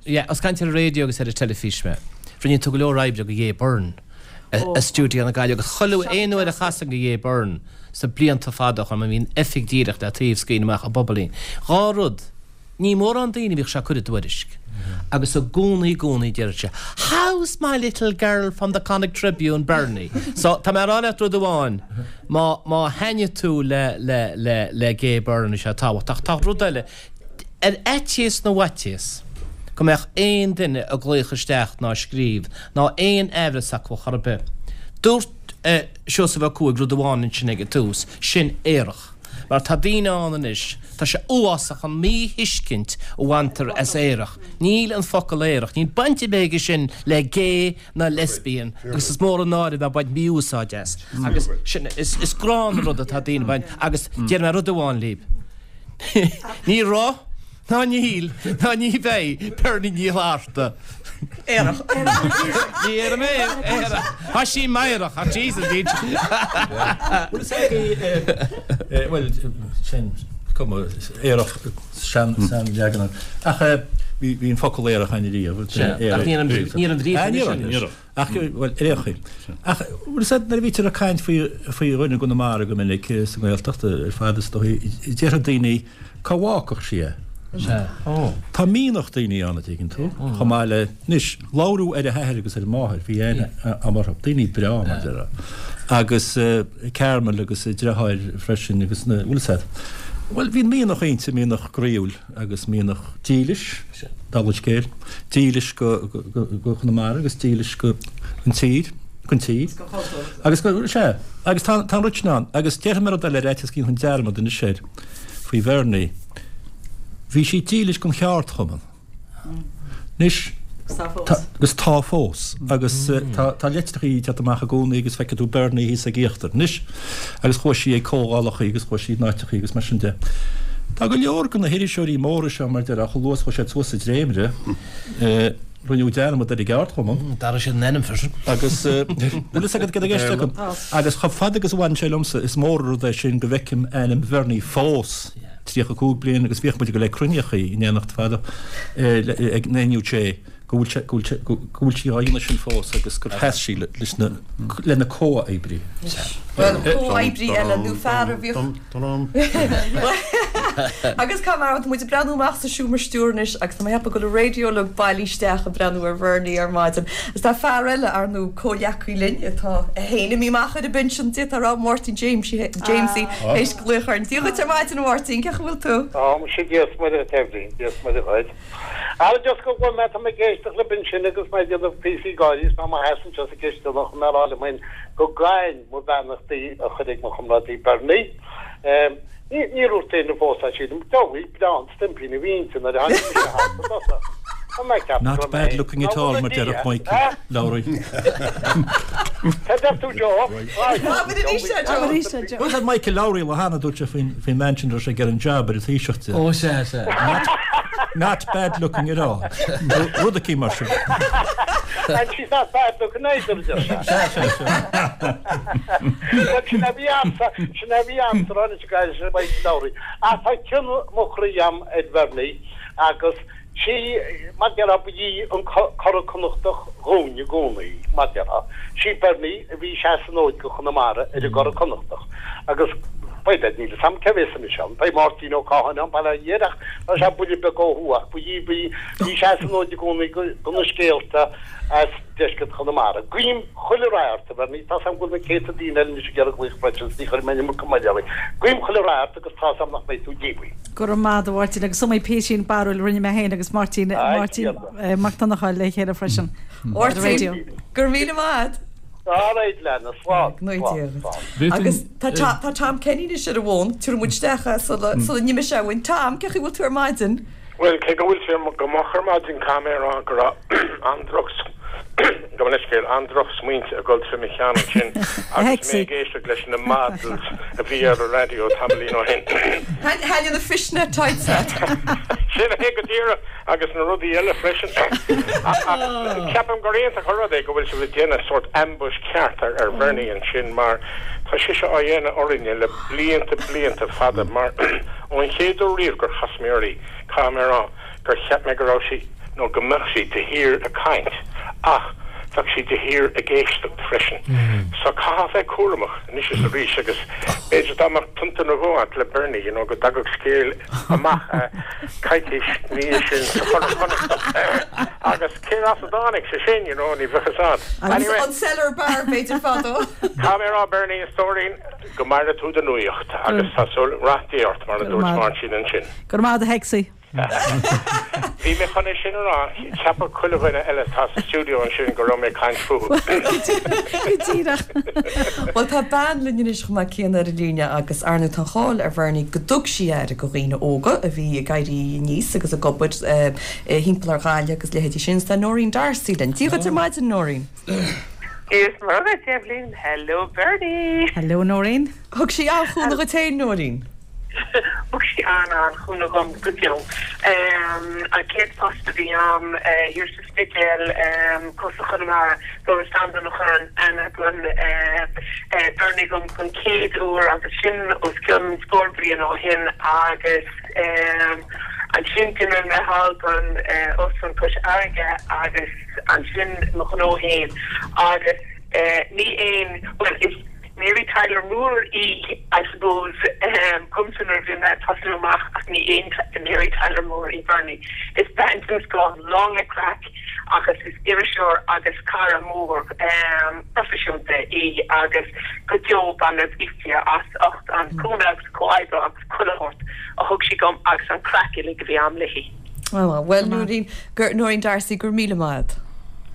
yeah, os caint ar raidió agus ar an teilifís mé. Rinne tú go leor oibre go Gay Byrne. A stiúideo na Gaillimhe agus chuile aon uair a chasainn go Gay Byrne sa blianta fada chun bhíonn oifig díreach le taobh scrín amach a bobailín. Dhá rud ní mórán daoine bhíodh sé cuid dtuairisc. Agus i gcónaí gcónaí deir sé, How's my little girl from the Connacht Tribune, Bernie? So tá mé rá leat rud amháin má má thaitníonn tú le le le le Gay Byrne sé tábhachtach tá rud eile ar fhaitíos na bhfaitíos go mbeadh aon duine ag glaoch isteach ná scríobh ná aon aimhreas acu chor ar bith. Dúirt Seosamh Ó Cuaig rud amháin ansin ag an tús, sin aerach. Mar tá daoine ann anois, tá sé uafásach an míthuiscint a bhaintear as aerach. Níl an focal aerach, níl baint ar bith aige sin le gay ná lesbian agus is mór an náire bheith ag baint mí-úsáid as. Agus sin, is, is gránna an rud atá daoine ag baint agus déarfaidh mé rud amháin libh. Ní raibh. Ná níl, ná ní bheidh Bernie Ní Fhlatharta. Aerach. Ní aerach mé, aerach. Tá sí meidhreach, ach Jesus, níl. Bhuel, is é, bhuel, sin cuma aerach sean sean-leagan. Ach bhí bhí an focal aerach ann riamh. Sea, ach níl an níl an bhrí Ah, ní raibh. Ach, bhuel, ar aon chaoi. Ach, bhuel, is é nuair a bhítear ag caint faoi faoi dhuine i gConamara go minic sa nGaeltacht ar fad is dóigh, déarfadh daoine cá bhfágfadh sí é. Sea. Ó. Tá mianach daoine ann, a dtuigeann tú, chomh maith le, anois, labhrú ar a hathair agus ar a máthair, bhí aithne a'm orthu, daoine breá, mar déarfá. Agus Carmel agus a deartháir freisin agus na, bhfuil fhios a'd. Bhuel, bhí mianach inti, mianach groíúil agus mianach dílis, dála an scéil, dílis go, go, go, go Conamara agus dílis go an tír, gon tír. Agus go, sea, agus tá, tá an rud sin ann. Agus déarfaidh mé rud eile ar fhaitíos go ndéanfainn dearmad anois air faoi Bhernie. Bhí sí dílis don cheardchumann. Anois, agus tá fós. Agus tá, tá litreachaí ag teacht amach i gcónaí agus feicfidh tú Bernie thíos ag íochtar. Anois, agus chuaigh sí ag comhdhálachaí agus chuaigh sí in áiteachaí agus mar sin de. Tá go leor de na hiriseoirí móra seo, mar déarfá, chomh luath is a chuaigh siad suas sa dréimire, rinneadh dearmad ar an gceardchumann. D'athraigh siad an ainm freisin. Agus, bhfuil fhios agat cad i gceist agam? Agus chomh fada agus a bhaineann sé liomsa, is mór an rud é sin go bhfeicim ainm Bhernie fós. tríocha cúig bliain agus bhíodh muid ag dul ag cruinníochaí in éineacht fada ag an N U J go bhfuil sé, go bhfuil sé, go bhfuil sí á dhéanamh sin fós agus gur sheas sí leis na, lena comhoibrí. Bhuel, comhoibrí eile nó fear a bhíodh. Agus cá mbeadh muid ag breathnú amach sa seomra stiúir anois agus tá mé ag ceapadh go bhfuil an raidió uilig bailithe isteach ag breathnú ar Bhernie ar maidin. Agus tá fear eile, ar ndóigh, comhghleacaí linn atá é féin imithe amach ar an bpinsean, d'fhéadfá a rá, Máirtín Jamesie, Jamesie, théis glaoch orainn. Dia dhuit ar maidin, a Mháirtín, cén chaoi a bhfuil tú? Tá mise Dia is Muire dhuit, Eibhlín, Dia is Muire dhuit. Ara just go bhfuil mé, tá mé ag éisteacht libh ansin agus mé ag déanamh píosaí gáirí is mé i mo sheasamh anseo sa gcisteanach chun mé a rá liom féin go gcaithfinn mo bheannachtaí a chur ag mo chomrádaí Bernie. Ní, níor dhúirt éinne fós é sílim. Deabhail breá an stuimpín a bhí inti nuair a tháinig mise thart i dtosach. Tá mé ag ceapadh Not go raibh mé bad looking at all, mar déarfadh Michael Lowry. Cad deir tú Joe? Abair arís é Joe. Abair arís é Joe. Bhuel, Michael Lowry lá cheana dúirt sé faoin faoin mbean sin a raibh sé ag iarraidh an jab ar an Taoiseach di. Ó sea, sea. Not, not bad looking at all. Rud eicínt mar sin. And she's not bad looking either, a deir sé. Sea, sea, sea. Bhuel, sin a bhí a'msa, sin a bhí a'msa ráite go sin Michael Lowry. Ach tá cion mo chroí a'm ar Bhernie agus sí, mar déarfá, ba í an Curadh Connachtach dhúinn i gcónaí, mar déarfá. Sí Bernie a bhí ag seasamh an fhóid go Chonamara ar an gCuradh Connachtach agus b'fhéidir, níl 'fhios a'm cé bhéas anois ann, beidh Máirtín Ó Catháin ann, bail ó Dhia air ach tá sé buille beag ó thuaidh ach ba í bhí ag seasamh an fhóid i gcónaí do na scéalta as deisceart Chonamara. Guím chuile rath ort, a Bhernie, tá's a'm go bhfuil na céadta daoine eile anois ag iarraidh glaoch freisin is ní chuirfidh mé an iomarca moille oraibh. Guím chuile rath ort agus tá's a'm nach mbeidh tú díomhaoin. Go raibh maith agat a Mháirtín agus is iomaí písín barrúil a rinne mé féin agus Máirtín Máirtín Mac Donnchadha le chéile freisin ar an raidió. Máirtín, go raibh míle maith agat. All right, Lena, slán, slán, slán. Agus tá tá Tom Kenny anois ar an bhfón, tabharfaidh muid isteach é sula sula n-imigh sé uainn. Tom, cén chaoi a bhfuil tú ar maidin? Bhuel, cé go bhfuil sé go moch ar maidin, caithfidh mé a rá go raibh an-droch, gabh mo leithscéal, an-droch-smaointe ag dul trí mo cheann ansin agus mé ag éisteacht leis na models a bhí ar an raidió tamaillín ó shin. Thaitnigh na fishnet tights leat. Sin é go díreach, agus na rudaí eile freisin. Ach ceapaim gur iontach an rud é go bhfuil sibh ag déanamh sórt ambush ceart ar Bhernie ansin mar tá sise á dhéanamh orainne le blianta blianta fada mar ón chéad uair riamh gur chas mé uirthi, Caithfidh mé a rá gur cheap mé go raibh sí, nó go mbeadh sí, de shíor ag caint, ach bheadh sí de shíor ag éisteacht freisin. So caithfidh a bheith cúramach anois is arís agus b'fhéidir dá mbeadh pionta nó dhó agat le Bernie, you know, go dtagadh scéal amach coicís ina dhiaidh sin sa Churadh Connachtach agus cé as a dtáinig sé sin, you know, ní bheadh fhios a'd. Anyway. An Cellar Bar b'fhéidir fadó. Caithfidh mé a rá Bernie, a stóirín, go maire tú do nuaíocht agus tá súil, rath Dé ort mar a dúirt Máirtín ansin. Go raibh maith agat a Hexie. Bhí mé chun é sin a rá, cheapfadh chuile dhuine eile atá sa stiúideo ansin go raibh mé ag caint fúthu. Go díreach. Bhuel tá bean linn anois chomh maith céanna ar an líne agus ar ndóigh tá an cháil ar Bhernie go dtug sí aire go dhaoine óga a bhí ag éirí aníos agus ag obair thimpeall ar Ghaillimh agus leithéidí sin. Tá Noreen D'Arcy linn. Dia dhuit ar maidin Noreen. Dia is Muire dhuit Eibhlín. Hello Bernie. Hello Noreen. Thug sí an-chúnamh dhuit féin Noreen. Thug sí an-an-chúnamh dhom go deo. An chéad post a bhí a'm thiar sa Spidéal, cósta Chonamara, Doras Andan a chuir aithne don Bernie dhom don chéad uair agus sin os cionn scór bliain ó shin agus ansin d'imigh mé thall don Óstlann Cois Fharraige agus ansin mo ghnó fhéin agus ní aon, bhuel is Mary Tyler Moore í, I suppose, dhomsa nuair a bhí mé ag tosnú amach ach ní aon Mary Tyler Moore í Bernie. Is bean den scoth, lán le craic agus is iriseoir agus cara mór proifisiúnta í agus go deo beidh mé buíoch di as ucht an cúnamh agus comhoibriú agus chuile shórt a thug sí dhom agus an craic uilig a bhí a'm léi. Bhuel, Noreen, Noreen D'Arcy, go raibh míle maith agat.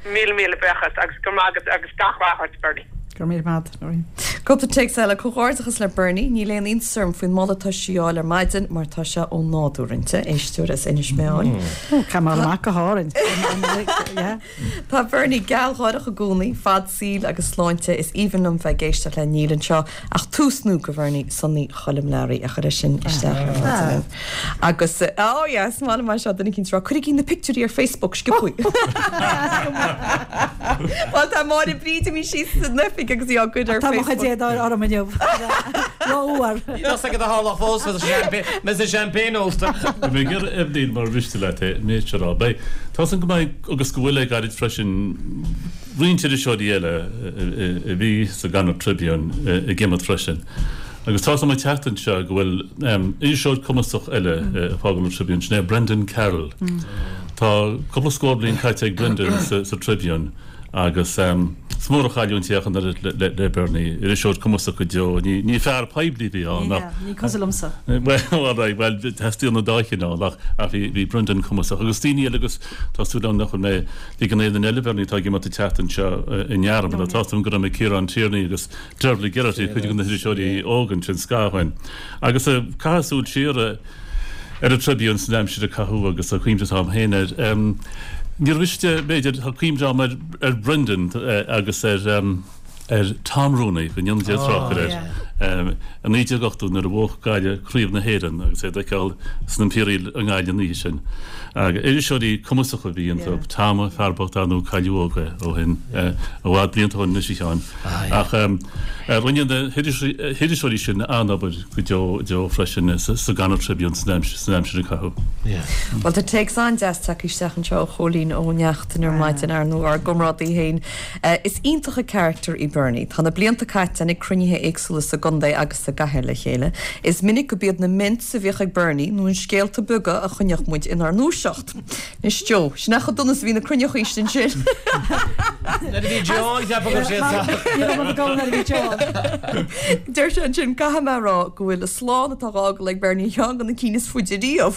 Míle míle buíochas agus go raibh maith agat agus gach rath ort, Bernie. Go raibh míle maith agat, Noreen. Cúpla téacs eile, Comhghairdeachas le Bernie. Níl aon iontas orm faoin moladh atá sí a fháil ar maidin mar tá sé ó nádúr inti. Éisteoir as Inis Meáin. Ó, caithfidh mé amach go hÁrainn. Tá Bernie gealgháireach i gcónaí, fad saoil agus sláinte. Is aoibhinn liom bheith ag éisteacht le Níl anseo ach tús nua go Bhernie Sonny Choilm Learaí a chuir é sin isteach ar maidin. Agus, oh yeah, is maith liom é seo, duine eicínt ag rá, cuirigí na pictiúirí ar Facebook, sciobthaí. Bhuel, tá Máire Bríd imithe síos san oifig agus í á gcur ar Tá mo Facebook. chuid éadaí orm inniu. Rófhuar. Níl fhios agat a tharlódh fós mbeidh an champagne ólta. Bhí mé ag iarraidh Eibhlín mar mhiste leat é, méid seo rá. Beidh, tá 'fhios a'm go mbeidh agus go bhfuil le gairid freisin roinnt iriseoirí eile a bhí sa gConnacht Tribune ag imeacht freisin. Agus tá 'fhios a'm an tseachtain seo go bhfuil iriseoir cumasach eile ag fágáil an Tribune, sin é Brendan Carroll. Tá cúpla scór bliain caite ag Brendan sa Tribune agus is mór an chailliúint é ach an oiread le Bernie, iriseoir cumasach go deo. Ní fear poiblí a bhí ann ach. Ní cosúil liomsa. Bhuel, alright, bhuel, teastaíonn an dá chineál ach bhí Brendan cumasach agus daoine eile agus tá súil agam nach bhfuil mé ag ligean aon duine eile Bernie atá ag imeacht an tseachtain seo i ndearmad. Tá 'fhios a'm go raibh mé Ciarán Tierney agus Dervla Geraghty, cuid de na hiriseoirí óga ansin scaitheamh ó shin. Agus caitheadh súil siar ar an Tribune san aimsir a caitheadh agus an chuimhne atá agam féin air. Níor mhiste, b'fhéidir, tá cuimhne agam ar ar Brendan agus ar ar Tom Rooney, go ndéana Dia trócaire air, i naoi déag ochtó nuair a bhuaigh Gaillimh Craobh na hÉireann agus é d'fheiceáil san Imperial i nGaillimh an oíche sin. Iriseoirí cumasacha a bhí iontu. Tom, fear bocht ar ndóigh cailleadh óg é ó shin, i bhfad blianta ó shin anois a Sheáin. Ach rinne na hiriseoirí sin an-obair go deo deo freisin sa gConnacht Tribune san aimsir a caitheadh. Bhuel tá téacs an-deas tagtha isteach anseo ó Chóilín Ó Neachtain ar maidin, ar ndóigh ár gcomrádaí féin. Is iontach an carachtar í Bernie. Tá na blianta caite againn ag cruinnithe éagsúla sa gcontae agus sa gcathair le chéile. Is minic go b'iad na mints a bhíodh ag Bernie nó an scéalta beaga a choinneodh muid inár ndúiseacht. Anois Joe, sin é chomh dona is a bhí na cruinneochaí sin sin. Nuair a bhí Joe ann, cheapfá go raibh sé Ní raibh mé go nuair a bhí Joe ann. Deir sé ansin, caithfidh mé a rá go bhfuil an slán atá á fhágáil ag Bernie ar cheann de na cinn is faide riamh.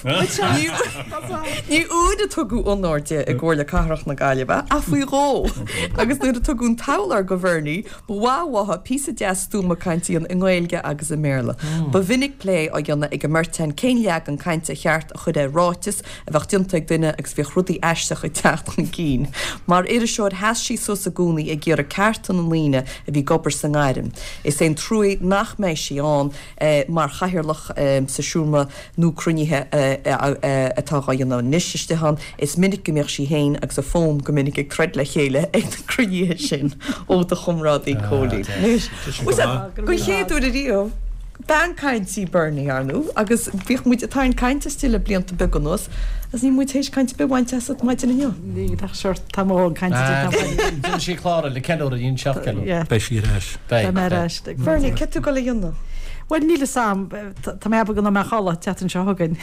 Ní uair a tugadh onóir di i gComhairle Cathrach na Gaillimhe, ach faoi dhó. Agus nuair a tugadh an t-abhlar go Bhernie, ba mhaith uathu píosa deas stuama cainte a dhéanamh i nGaeilge agus i mBéarla. Ba mhinic plé á dhéanamh ag an mbeirt againn cén leagan cainte cheart a chur ar ráiteas a bheadh déanta ag duine agus bhíodh rudaí aisteacha ag teacht chun cinn. Mar iriseoir sheas sí suas i gcónaí ag iarraidh cearta na ndaoine a bhí ag obair sa ngairm. Is é an trua nach mbeidh sí ann mar chathaoirleach sa seomra nó cruinnithe atá á dhéanamh anois istigh ann. Is minic go mbíodh sí féin agus a fón go minic ag troid le chéile ag na cruinnithe sin ó do chomrádaí Cóilín. Anois, don chéad uair ariamh, bean cainte í Bernie, ar ndóigh, agus bhíodh muid ag tarraingt cainte aisti le blianta beaga anuas agus níl muid théis caint ar bith a bhaint asat maidin inniu. Ní, nach seort, tá mo dhóthain cainte déanta. Déanfaidh sí clár eile, ceiliúradh, dhein seacht ceiliúradh. Beidh sí ar ais. Beidh mé ar ais. Bernie, céard tá tú ag dul a dhéanamh? Bhuel níl fhios a'm, tá mé ag ceapadh go mbeidh mé a chodladh an tseachtain seo chugainn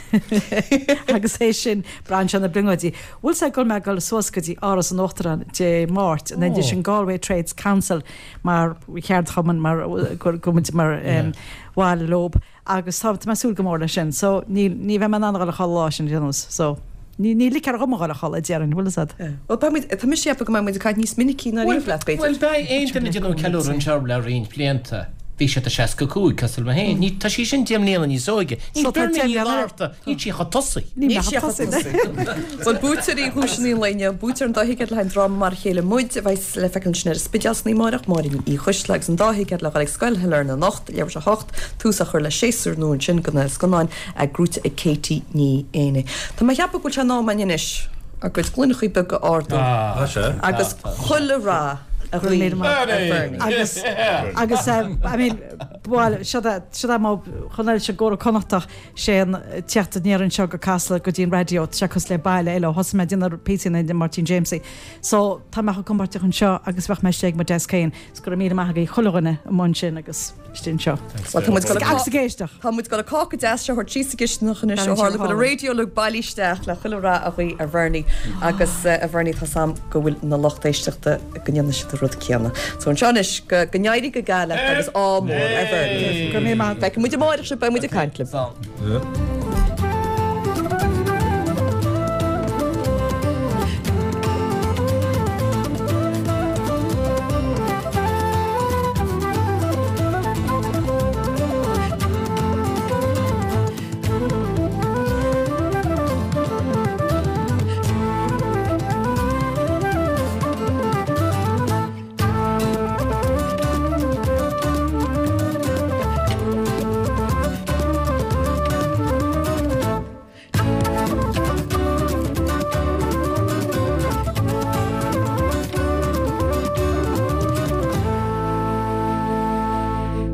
agus é sin braitheann sé ar na brionglóidí. Bhfuil fhios a'd go bhfuil mé ag dul suas go dtí Áras an Uachtaráin Dé Máirt an oh. sin Galway Trades Council mar cheardchumann mar go muid mar um, bhall leob agus tá mé ag súil go mór leis sin so ní ní bheidh mé in ann a dhul a chodladh lá sin déanús so ní ní ligfear dhom a dhul a chodladh déarfainn bhfuil fhios a'd. Bhuel beidh muid tá mise ag ceapadh go mbeidh muid ag caint níos minicí ná riamh leat b'fhéidir. Bhuel beidh aon duine ag déanamh ceiliúradh anseo le roinnt blianta. Bhí siad a seasca cúig cosúil liom féin. Ní tá sí sin deich mbliana níos óige. Níl So tá Bernie deich Ní mbliana Fhlatharta níl sí chomh tosaigh. Níl sí chomh tosaigh. Bhuel buaiteoirí dhuaiseanna an lae inniu, buaiteoir an dá thicéad le haghaidh an dráma Mar a Chéile Muid a bheidh le feiceáil ansin ar an Spidéal san oíche amárach, Máirín Uí Choisdealbha agus an dá thicéad le dhul ag Scoil Shailearna anocht, leathuair tar éis a hocht, tús á chur le séasúr nua ansin de na scannáin gnóite ag Katie Ní Éanaigh. Tá mé ag ceapadh go bhfuil sé in am againn anois ár gcuid gloineachaí beaga a ardú agus chuile rath a ghuí ar Bernie. Agus agus I mean bhuel seo é seo é mo chonaill se gcóra Connachtach sé an teacht aniar anseo go Casla go dtí an raidió tá sé cosúil le baile eile ó thosaigh mé ag déanamh píosaí na Máirtín Jamesie. So tá mé chomh compordach anseo agus bheadh mé istigh ag mo desk féin. Is go raibh míle maith agaibh chuile dhuine amuigh ansin agus istigh anseo. Well, tá muid Agus ag éisteacht. Tá muid ag dul an cáca deas seo a thabhairt síos sa gcistineach anois ó tharla go bhfuil an raidió uilig bailithe isteach le chuile rath a ghuí ar Bhernie agus a Bhernie tá 's a'm go bhfuil na lucht éisteachta go ndéanfaidh siad an rud céanna. So anseo anois go go n-éirí go geal leat agus ádh mór ar Bhernie. Go raibh míle maith. Feicfidh muid amárach sibh beidh muid ag caint libh.